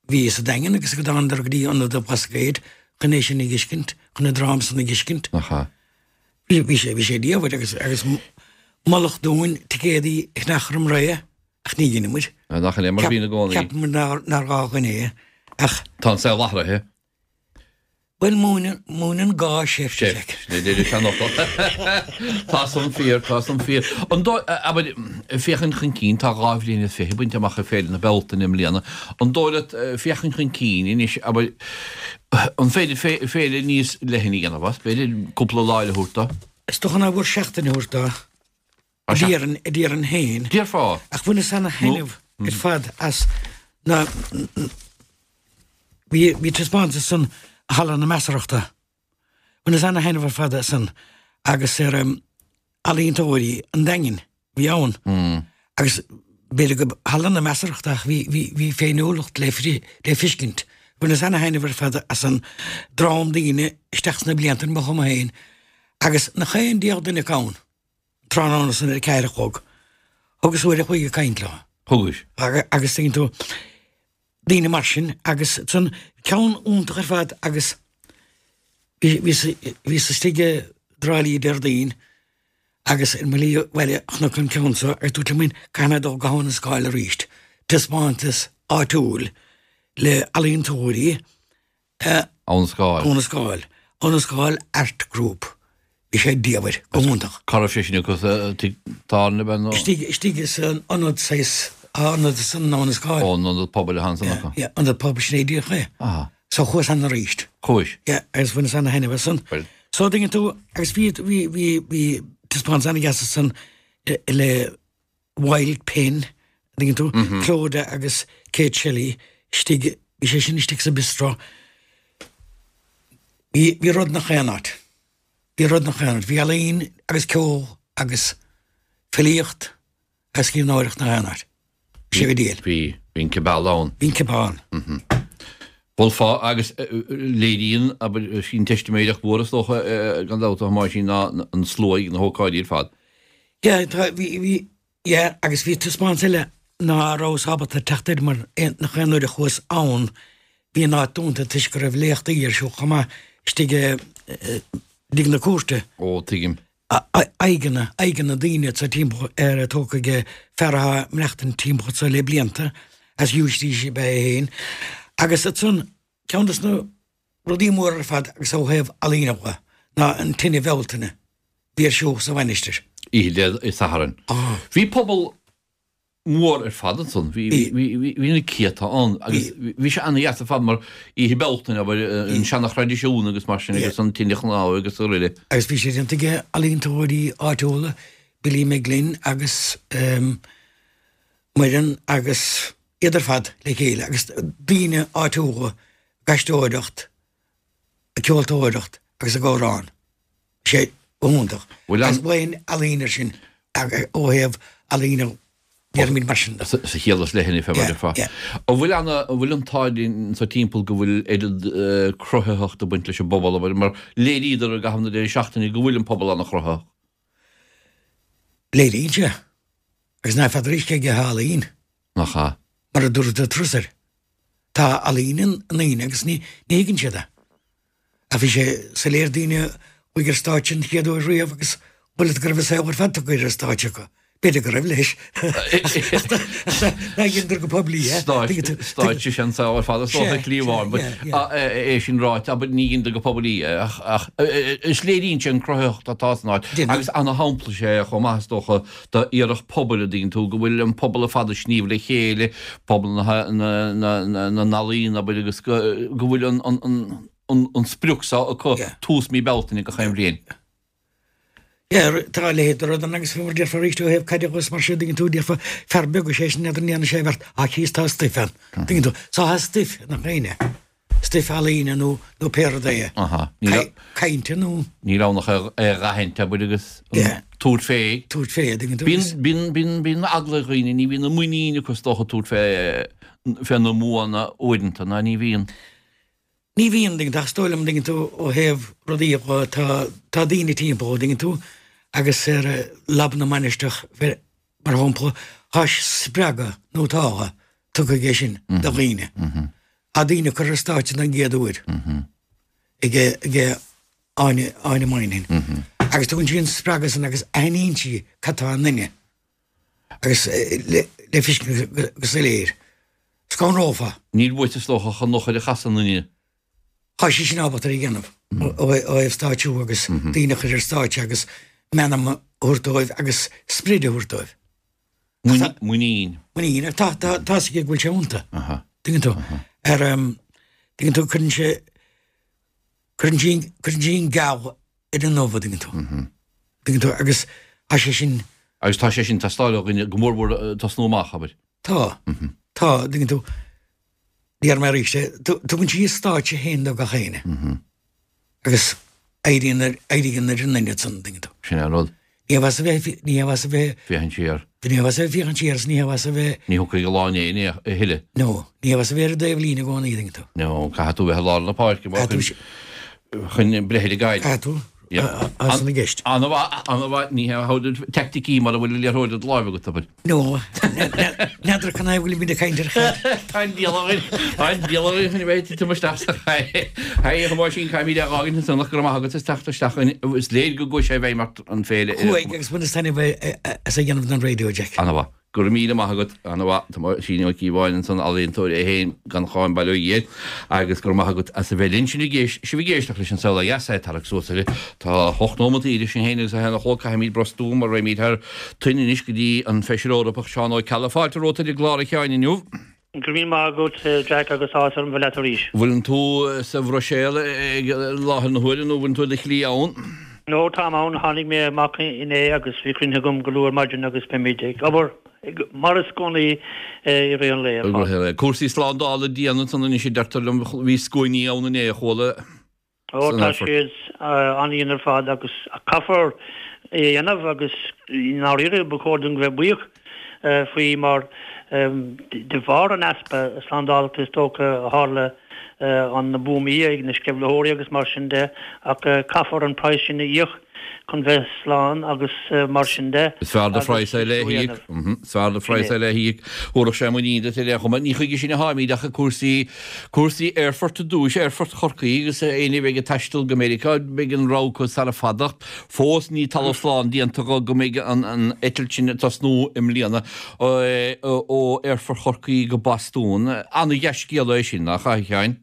bhí sa Daingean agus go dtánadar go dtí Ionad an Bhlascaoid chun é sin a fheiscint, chun an dráma san a fheiscint. Nach ea. Bhí bhí sé bhí sé diabhair agus agus moladh dúinn ticéadaí a cheannach roim ré ach ní dhein muid. Nach in é mar bhíonn i gcónaí. Cheap muid nár nár ghá dhúinn é ach. Tá an saol athraithe. Bhuel múineann múineann gá seift. Seift, sin é deir an seanfhocal. Tá san fíor, tá san fíor. An dóigh, abair, féachaint chun cinn, tá dhá bhliain is fiche bainte amach ag Féile na Bealtaine i mbliana. An dóigh leat féachaint chun cinn anois, abair, an féidir féile níos leithne a dhéanamh as, b'fhéidir cúpla lá eile a thabhairt dó? Is dócha nár mhór seachtain a thabhairt dó. A déarfainn, a déarfainn féin. Déarfá. Ach bhaineas ana-thaitneamh ar fad as na, bhí, bhí taispeántas san Halla na Measarthachta. Bhaineas ana-thaitneamh ar fad as san agus ar ealaíontóirí an Daingin a bhí ann. Agus b'fhéidir go Halla na Measarthachta ach bhí, bhí, bhí féiniúlacht le, le feiscint. Bhaineas ana-thaitneamh ar fad as an dream daoine isteach sna blianta mo chuma féin agus nach aon diabhal duine acu ann. Tráthnóna san ar a ceathair a chlog. Thugas uair a chloig ag caint leo. Thugais. Agus tuigeann tú, daoine mar sin agus san ceann iontach ar fad agus bhíos istigh i dTrá Lí Déardaoin agus ar mo shlí abhaile chonac an ceann seo agus dúirt liom féin caithfidh mé dul go hAbha na Scáil arís. Taispeántas áitiúil le ealaíontóirí Abha na Scáil. Abha na Scáil. Abha na Scáil Art Group. Bhí sé diamhair, go hiontach. Cá raibh sé sin acu sa tigh tábhairne ab ea nó? Istigh, istigh san ionad saghas, ionad san Abha na Scáil. Ó, an ionad pobail atá ansan acu. Yeah, ionad pobail sin é díreach é. Aha. So chuas ann arís. Chuais? Yeah, agus bhaineas ana-thaitneamh as san. Bhuel. So tuigeann tú, agus bhí, bhí, bhí, bhí taispeántas ana-dheas ansan le Wild Pen, tuigeann tú, Clodagh agus Kate Shelley istigh, bhí sé sin istigh sa bistro. Bhí, bhí rud 'nach aon áit. Bhí rud 'nach aon áit. Bhí ealaín agus ceol agus filíocht agus scríbhneoireacht 'nach aon áit. Bhí sé go diail. Bhí, bhí an cibeál ann. Bhí an cibeál ann. Mholfá agus léiríonn, abair, sin teistiméireacht mhór is dócha gan dabht a Thomáisín ná an slua ag na hócáidí ar fad. Yeah, tá, bhí, bhí, yeah, agus bhí taispeántas eile ná rabhas ábalta teacht air mar nach aon uair a chuas ann bhí an áit dúnta toisc go raibh léachtaí ar siúl chomh maith istigh i dtigh na cúirte. Ó, tuigim. Aghaidheanna, aghaidheanna daoine anso timpeall ar tógtha ag fear atá ag maireachtaint timpeall anso le blianta, as giúistís ab ea é féin. Agus ansan, ceann des na rudaí móra ar fad agus ó thaobh ealaíne dhe, ná an tine Bhealtaine a bhí ar siúl sa mhainistir. Oíche Dé Sathairn. Bhí pobal mór ar fad ansan. Bhí, bhí, bhí, bhí na céadta ann agus bhí sé ana-dheas ar fad mar Oíche Bealtaine, abair, an seana-thraidisiún agus mar sin agus an tine chnámha agus araile. Agus bhí sé déanta ag ealaíontóirí áitiúla, Billy McGlynn agus Muireann agus iad ar fad le chéile agus daoine áitiúla ag aisteoireacht, ag ceoltóireacht agus ag amhrán. Bhí sé go hiontach. Agus bhain ealaín air sin ó thaobh ealaíne déarfaimid mar sin de. Sa chiall is leithne fé mar a déarfá. An bhfuil an bhfuil an t-ádh linn anso timpeall go bhfuil oiread cruthaitheachta ag baint leis an bpobal, abair, mar léiríodar i gcaitheamh na deireadh seachtaine go bhfuil an pobal ana-chruthaitheach. Léiríonn sé. Agus ná feadar arís cé aige atá ealaín. Nach ea? Mar a dúirt de Trusair, tá ealaín i ndaoine agus ní thuigeann siad é. Ach bhí sé soiléir daoine a chuaigh ar stáitse an chéad uair riamh agus bhfuil fhios go raibh a saol ar fad tugtha ar an stáitse acu. B'fhéidir go raibh, leis. Ach nár dheineadar go poiblí é. Stáitse is ea an saol ar fad is dócha, slí amháin. É sin ráite, abair, ní dheineadar go poiblí é ach is léiríonn sé an cruthaitheacht atá san áit agus ana-shampla is ea é chomh maith is dócha d'iarracht pobail, an dtuigeann tú, go bhfuil an pobal ar fad ag sníomh le chéile, pobal na n-ealaíon, abair, agus go bhfuil an sprioc seo acu tús mí Bealtaine gach aon bhliain. Yeah, tá a leithéid de rud ann agus mar déarfá arís ó thaobh caide agus mar sin, tuigeann tú, déarfá fear beag is é sin n'fheadar an ndéanann sé beart ach thíos tá stuif ann, tuigeann tú. So tá stuif i ngach éinne, stuif ealaíne nó nó pé rud é. Aha. Níl a- Cainte nó. Níl ann ach é a aithint, abair, agus Yeah. tabhairt fé. Tabhairt fé, tuigeann tú. Bíonn, bíonn, bíonn, bíonn eagla ar dhaoine, ní bhíonn an muinín acu is dócha tabhairt fé, fé na mbuanna uaireanta, ná ní bhíonn. Ní bhíonn, tuigeann tú, ach is dóigh liom, tuigeann tú, ó thaobh rudaí dhe, tá, tá daoine timpeall, tuigeann tú, agus ar Lab na Mainistreach, mar shampla, tá spreagadh, nó tá, tugtha aige sin do dhaoine. Tá daoine curtha ar stáitse den gcéad uair ag, ag Áine, Áine Moynihan. Agus tugann sí an spreagadh san agus aithníonn sí cad tá i nduine agus le, le feiscint go soiléir. Scanrófá. Níl uait is dócha ach an eochair a chasadh i nduine. Tá sí sin ábalta a dhéanamh ó thaobh stáitsiú agus daoine a chur ar stáitse agus meanma a thabhairt dóibh agus sprid a thabhairt dóibh. Muinín. Muinín. Tá tá tá a fhios aici go bhfuil sé iontu. Tuigeann tú? Ar tuigeann tú cuireann sé cuireann sí cuireann sí an geal ar an ubh tuigeann tú. Tuigeann tú agus tá sé sin. Agus tá sé sin ag teastáil ó dhuine go mór mór tosnú amach, abair. Tá. Tá, tuigeann tú. Déarfaidh mé arís é, tugann sí a stáitse féin do gach éinne. Agus éiríonn ar, éiríonn ar an duine san, tuigeann tú. Sin é an rud. Ní mhaith a bheith, ní mhaith a bheith. Féachaint siar. Ní mhaith a bheith féachaint siar is ní mhaith a bheith. Ní thiocfaidh a lán éinne a thuilleadh. No, ní mhaith a bheith ar an dtaobhlíne i gcónaí, tuigeann tú. No, caithfidh tú bheith i lár na páirce mar chun, chun breith ar an gcaid. Caithfidh tú. As na gceist. An-mhaith, an-mhaith, ní hé teaicticí mar a bhfuil an liathróid i do láimh agat, abair. No, n'fheadar cad é a bhfuil muid ag caint ar chaid. Tá an diabhal againn, tá an diabhal againn chun a bheith ag titim isteach sa chaid. Hey, a Thomáisín, caithfimid é a fhágaint ansan ach go raibh maith agat as teacht isteach againn. Is léir go gcuaigh sé i bhfeidhm ort an féile. Chuaigh agus baineas taitneamh as a dhéanamh don raidió, Jack. An-mhaith. Go raibh míle maith agat, an-mhaith, Tomáisín Ó Cíobháin ansan, ealaíontóir é féin gan cháim bail ó Dhia air, agus go raibh maith agat as a bheith linn. Sin ag éist, sibh ag éisteacht leis an Saol Ó Dheas, é tarrac suas uirthi. Tá hocht nóimeat idir sinn féin agus a haon a chlog, caithfimid brostú mar raghaimid thar toinn anois go dtí an Feisire Eorpach Seán Ó Ceallaigh. Fáilte romhat ar an gclár a Sheáin inniu. Go raibh míle maith agat Jack agus áthas orm bheith leat arís. Bhfuileann tú sa Bhruiséil ag láthair na huaire nó bhfuileann tú ar do shlí ann? No, táim ann. Tháinig mé amach inné agus bhí cruinnithe agam go luath ar maidin agus beimid ag obair mar is gnáth i rith an lae ar fad. Cúrsaí slándála dian ansan anois a deirtear liom. Bhí scuainí ann inné a chuala Ó tá siad an-dhian ar fad agus caithfear é a dhéanamh agus i ndáiríre ba chóir dúinn bheith buíoch faoi mar de bharr an easpa slándála is dócha a tharla an na buamaí ag na sceimhlitheoirí agus mar sin de ach caithfear an praghas sin a íoc chun bheith slán agus mar sin de. Is fearr do phraghas é le híoc. Is fearr do phraghas é le híoc. Thabharfadh sé muinín duit ar aon chuma. Ní chuige sin a tháimid ach cúrsaí, cúrsaí aerfoirt i dtús, aerfort Chorcaí agus éinne a bheidh ag taisteal go Meiriceá, beidh an rogha acu sara fada. Fós níl talamh slán déanta go go mbeidh an an eitilt sin ag tosnú i mbliana ó aerfort Chorcaí go Bostún. Ana-dhea-scéala é sin, nach ea, a Sheáin?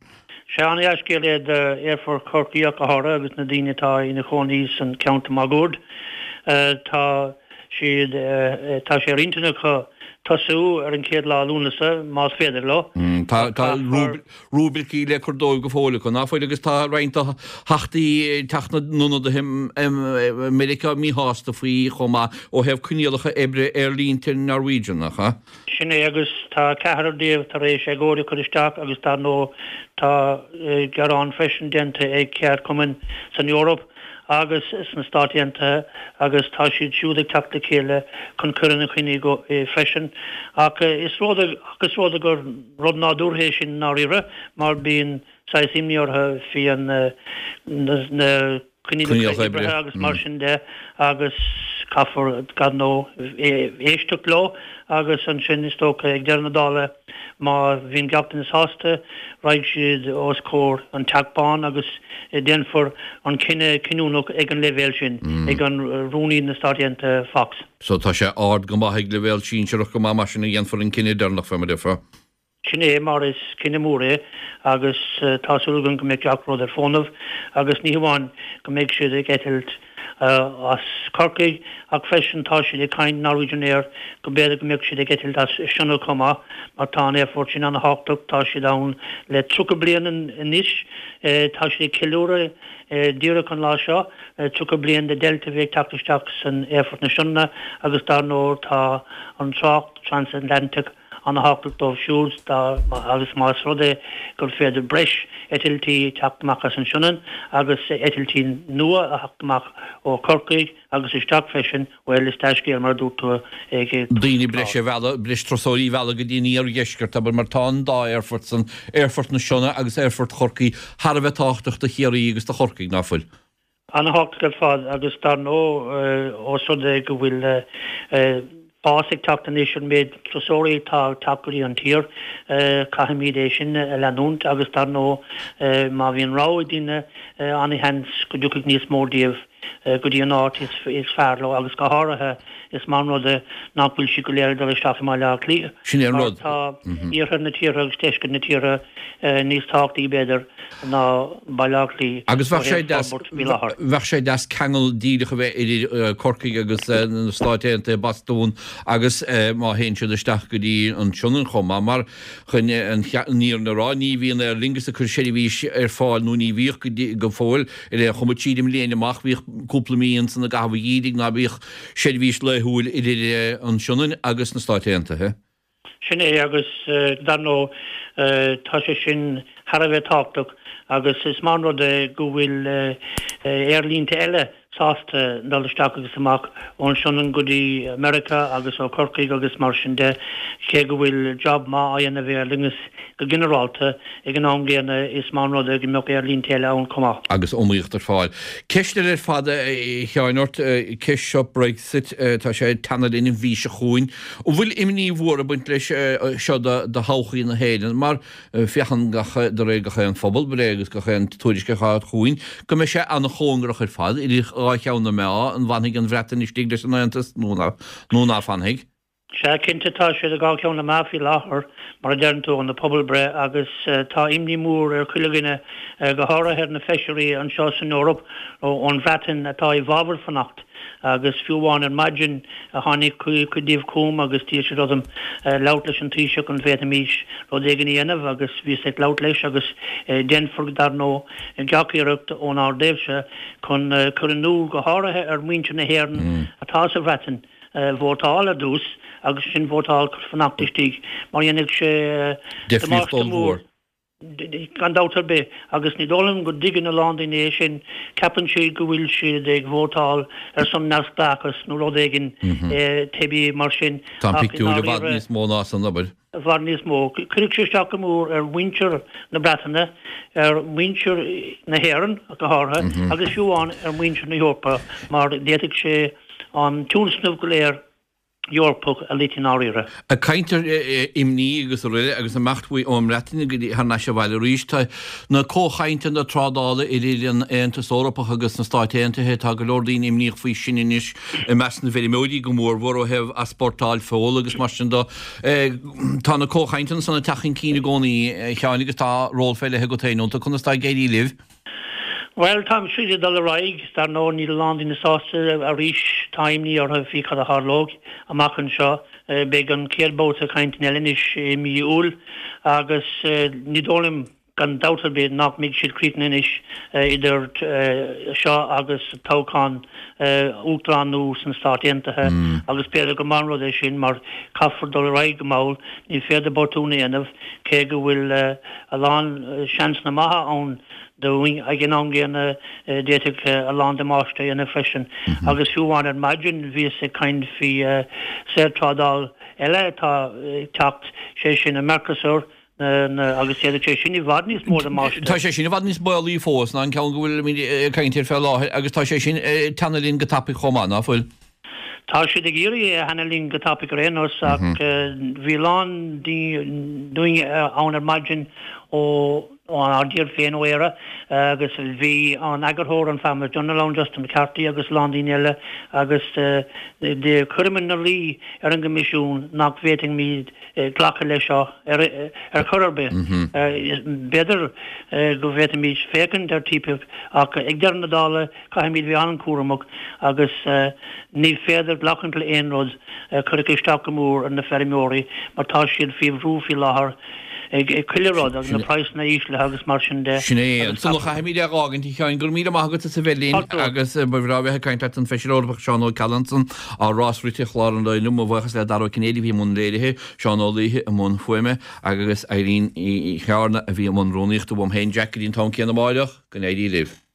Sea, ana-dhea-scéal é d'Aerfort Chorcaí ach go háirithe agus na daoine atá ina chónaí san ceantar máguaird. Tá siad, tá sé ar intinn acu tosú ar an chéad lá Lúnasa, más féidir leo. Tá tá rúibricí le cur dóibh go fóill acu, ná fuil, agus tá roinnt de theachtaí Teach na nIonadaithe i Meiriceá míshásta faoi chomh maith ó thaobh coinníollacha oibre aerlínte Norwegian, nach ea? Sin é, agus tá ceathrar díobh tar éis agóid a chur isteach agus dar ndóigh tá gearán freisin déanta ag ceardchumainn san Eoraip agus sna Stáit Aontaithe agus tá siad siúd ag teacht le chéile chun cur ina choinne freisin. Ach is rud ach is rud gur rud nádúrtha é sin i ndáiríre mar bíonn saghas imní orthu faoi an na coinníollacha oibre agus mar sin de agus caithfear dar ndóigh éisteacht leo agus ansin is dócha ag deireadh na dála má bhíonn gach duine sásta raghaidh siad os comhair an Teach Bán agus déanfar an cinneadh cinniúnach ag an leibhéal sin ag an Rúnaí na Stát Aontaithe Fox. So tá sé ard go maith ag leibhéal sinsearach go maith mar sin a dhéanfar an cinneadh deireanach fé mar a déarfá. Sin é mar is cinneadh mór é agus tá súil agam go mbeidh gach rud ar fónamh agus ní hamháin go mbeidh siad ag eitilt as Corcaigh ach freisin tá siad ag caint Norwegian Air go mb'fhéidir go mbeadh siad ag eitilt as Sionainn chomh maith mar tá an aerfort sin an-thábhachtach, tá siad ann le tríocha bliain anois, tá siad ag ceiliúradh díreach an lá seo tríocha bliain de Delta a bhí ag teacht isteach san aerfort na Sionainne agus dar ndóigh tá an trácht Transatlantic an-thábhachtach dóibh siúd agus más rud é gur féidir breis eitiltí teacht amach as an Sionainn agus eitiltí nua a theacht amach ó Chorcaigh agus isteach freisin, bhuel, is dea-scéal mar a dúirt tú ag daoine breise a mhealladh, breis turasóirí a mhealladh go dtí an iardheisceart, abair, mar tá an dá aerfort san, Aerfort na Sionainne agus Aerfort Chorcaí, thar a bheith tábhachtach do Chiarraí agus do Chorcaigh, ná fuil? An-thábhachtach ar fad agus dar ndóigh ós rud é go bhfuil fás ag teacht anois ar an méid turasóirí atá ag teacht go dtí an tír, caithfimid é sin a leanúint agus dar ndóigh má bhíonn rogha ag daoine an-sheans go dtiocfaidh níos mó díobh go dtí an áit is fearr leo agus go háirithe is maith an rud é nach bhfuil siad go léir ag dul isteach i mBaile Átha Cliath Sin é an mar rud. tá iarthar na tíre agus deisceart na tíre níos tábhachtaí b'fhéidir ná Baile Átha Cliath Agus ó bheadh sé thaobh deas, forbairt faoi láthair. bheadh sé deas ceangal díreach a bheith idir Corcaigh agus na Stáit Aontaithe, Bostún agus má théann siad isteach go dtí an tSionainn chomh maith mar chun an fhírinne a rá ní bhíonn Aer Lingus ag cur seirbhís ar fáil nó ní bhíodh go dtí go fóill ar aon chuma tríd an mbliain amach bhíodh cúpla mí ansan i gcaitheamh an gheimhridh ná bíodh seirbhís laethúil idir an Sionainn agus na Stáit Aontaithe. Sin é agus dar ndóigh tá sé sin thar a bheith tábhachtach agus is maith an rud é go bhfuil aerlínte eile sásta dul isteach agus amach ón Sionainn go dtí Meiriceá agus ó Chorcaigh agus mar sin de. Cé go bhfuil jab maith á dhéanamh ag Aer Lingus go ginearálta, ag an am gcéanna is maith an rud é go mbeadh aerlínte eile ann chomh maith. Agus iomaíocht ar fáil. Ceist eile ar fad, a Sheáin, ort, ceist seo Brexit, tá sé ag teannadh linn an mhí seo chugainn. An bhfuil imní mhór ag baint leis seo do thodhchaí na hÉireann mar féachann gach, de réir gach aon phobalbhreith agus gach aon tuairisc atá chugainn, go mbeidh sé an-chóngarach ar fad idir dhá cheann na meá, an bhfanfaidh an Bhreatain istigh leis an Aontas nó ná fanfaidh? Sea, cinnte, tá sé idir dhá cheann na meá faoi láthair, mar a deireann tú, an pobalbhreith, agus tá imní mór ar chuile dhuine, go háirithe ar na feisirí anseo san Eoraip ón Bhreatain atá i bhfabhar fanacht. Agus fiú amháin ar maidin tháinig cuid díobh chugam agus d'iarr siad orm labhairt leis an Taoiseach an bhféadfaimís rud éigin a dhéanamh agus bhíos ag labhairt leis agus déanfar dar ndóigh gach iarracht ónár dtaobhse chun cur in iúl go háirithe ar mhuintir na hÉireann atá sa Bhreatain vótáil ar dtús agus ansin vótáil chun fanacht istigh mar dhéanfadh sé Difríocht damáiste mór ollmhór. Gan dabht ar bith, agus ní dóigh liom go dtuigeann a lán daoine é sin, ceapann siad go bhfuil siad ag vótáil ar son neamhspleáchas nó rud éigin teibí mar sin, Tá an ach i pictiúr i bhfad ndáiríre, níos mó ná san, abair. i bhfad níos mó. Cuirfidh sé isteach go mór ar mhuintir na Breataine, ar mhuintir na hÉireann go háirithe, agus fiú amháin ar mhuintir na hEorpa, mar d'fhéadfadh sé an tionscnamh go léir Eorpach a loit i ndáiríre. Ag caint ar imní agus araile agus imeacht uaidh ón mBreatain go dtí thar n-ais abhaile arís, tá na comhchainteanna trádála idir an Aontas Eorpach agus na Stáit Aontaithe, tá go leor daoine imníoch faoi sin anois, i measc na bhfeirmeoirí go mórmhór ó thaobh easpórtáil feola agus mar sin de. Tá na comhchainteanna san ag teacht chun cinn i gcónaí, a Sheáin, agus tá ról fé leith agat féin iontu. Conas tá ag éirí libh? Bhuel, tá siad ag dul ar aghaidh. Dar ndóigh, níl a lán daoine sásta arís. Tá imní orthu faoi cad a tharlóidh amach anseo. Beidh an chéad babhta cainteanna eile anois i mí Iúil agus ní dóigh liom, gan dabht ar bith, nach mbeidh siad críochnaithe anois idir seo agus toghchán uachtaráin nua sna Stáit Aontaithe agus b'fhéidir gur maith an rud é sin mar caithfear dul ar aghaidh go mall. Ní féidir botún a dhéanamh, cé go bhfuil a lán seansanna maithe ann dúinn. Ag an am gcéanna, d'fhéadfadh a lán damáiste a dhéanamh freisin. Agus fiú amháin ar maidin bhíos ag caint faoi saorthrádáil eile atá ag teacht, sé sin an Mercosur, agus d'fhéadfadh sé sin i bhfad níos mó damáiste. Tá sé sin i bhfad níos baolaí fós ná an ceann go bhfuilimid ag caint air fé láthair agus tá sé sin ag teannadh linn go tapaidh chomh maith, ná fuil? Tá siad ag iarraidh é a theannadh linn go tapaidh ar aon nós ach bhí a lán daoine ann ar maidin ó ónár dtír féin ó Éire agus bhí an eagarthóir an Farmers Journal ann, Justin McCarthy agus a lán daoine eile agus chuireamar ina luí ar an gCoimisiún nach bhféadfaimid glacadh leis seo ar chor ar bith. B'fhéidir go bhféadfaimid féachaint ar TTIP ach ag deireadh na dála caithfimid bheith an-chúramach agus ní féidir glacadh le aon rud a chuirfeadh isteach go mór ar na feirmeoirí mar tá siad faoi bhrú faoi láthair ag chuile rud agus na praghsanna íslithe agus mar sin de. Sin é. Ansan a chaithfimid é a dh'fhágaint, a Sheáin. Go raibh míle maith agat as a bheith linn agus ba bhreá bheith ag caint leat an Feisire Eorpach Seán Ó Ceallaigh ansan ár rás rite chlár an lae inniu. Mo bhuíochas le Dara Ó Cinnéide a bhí i mbun léirithe, Seán Ó Laoithe i mbun fuaime agus Irene Uí Chearna a bhí i mbun rúnaíochta. Uaim féin Jack go dtí an t-am céanna amáireach, go n-éirí libh.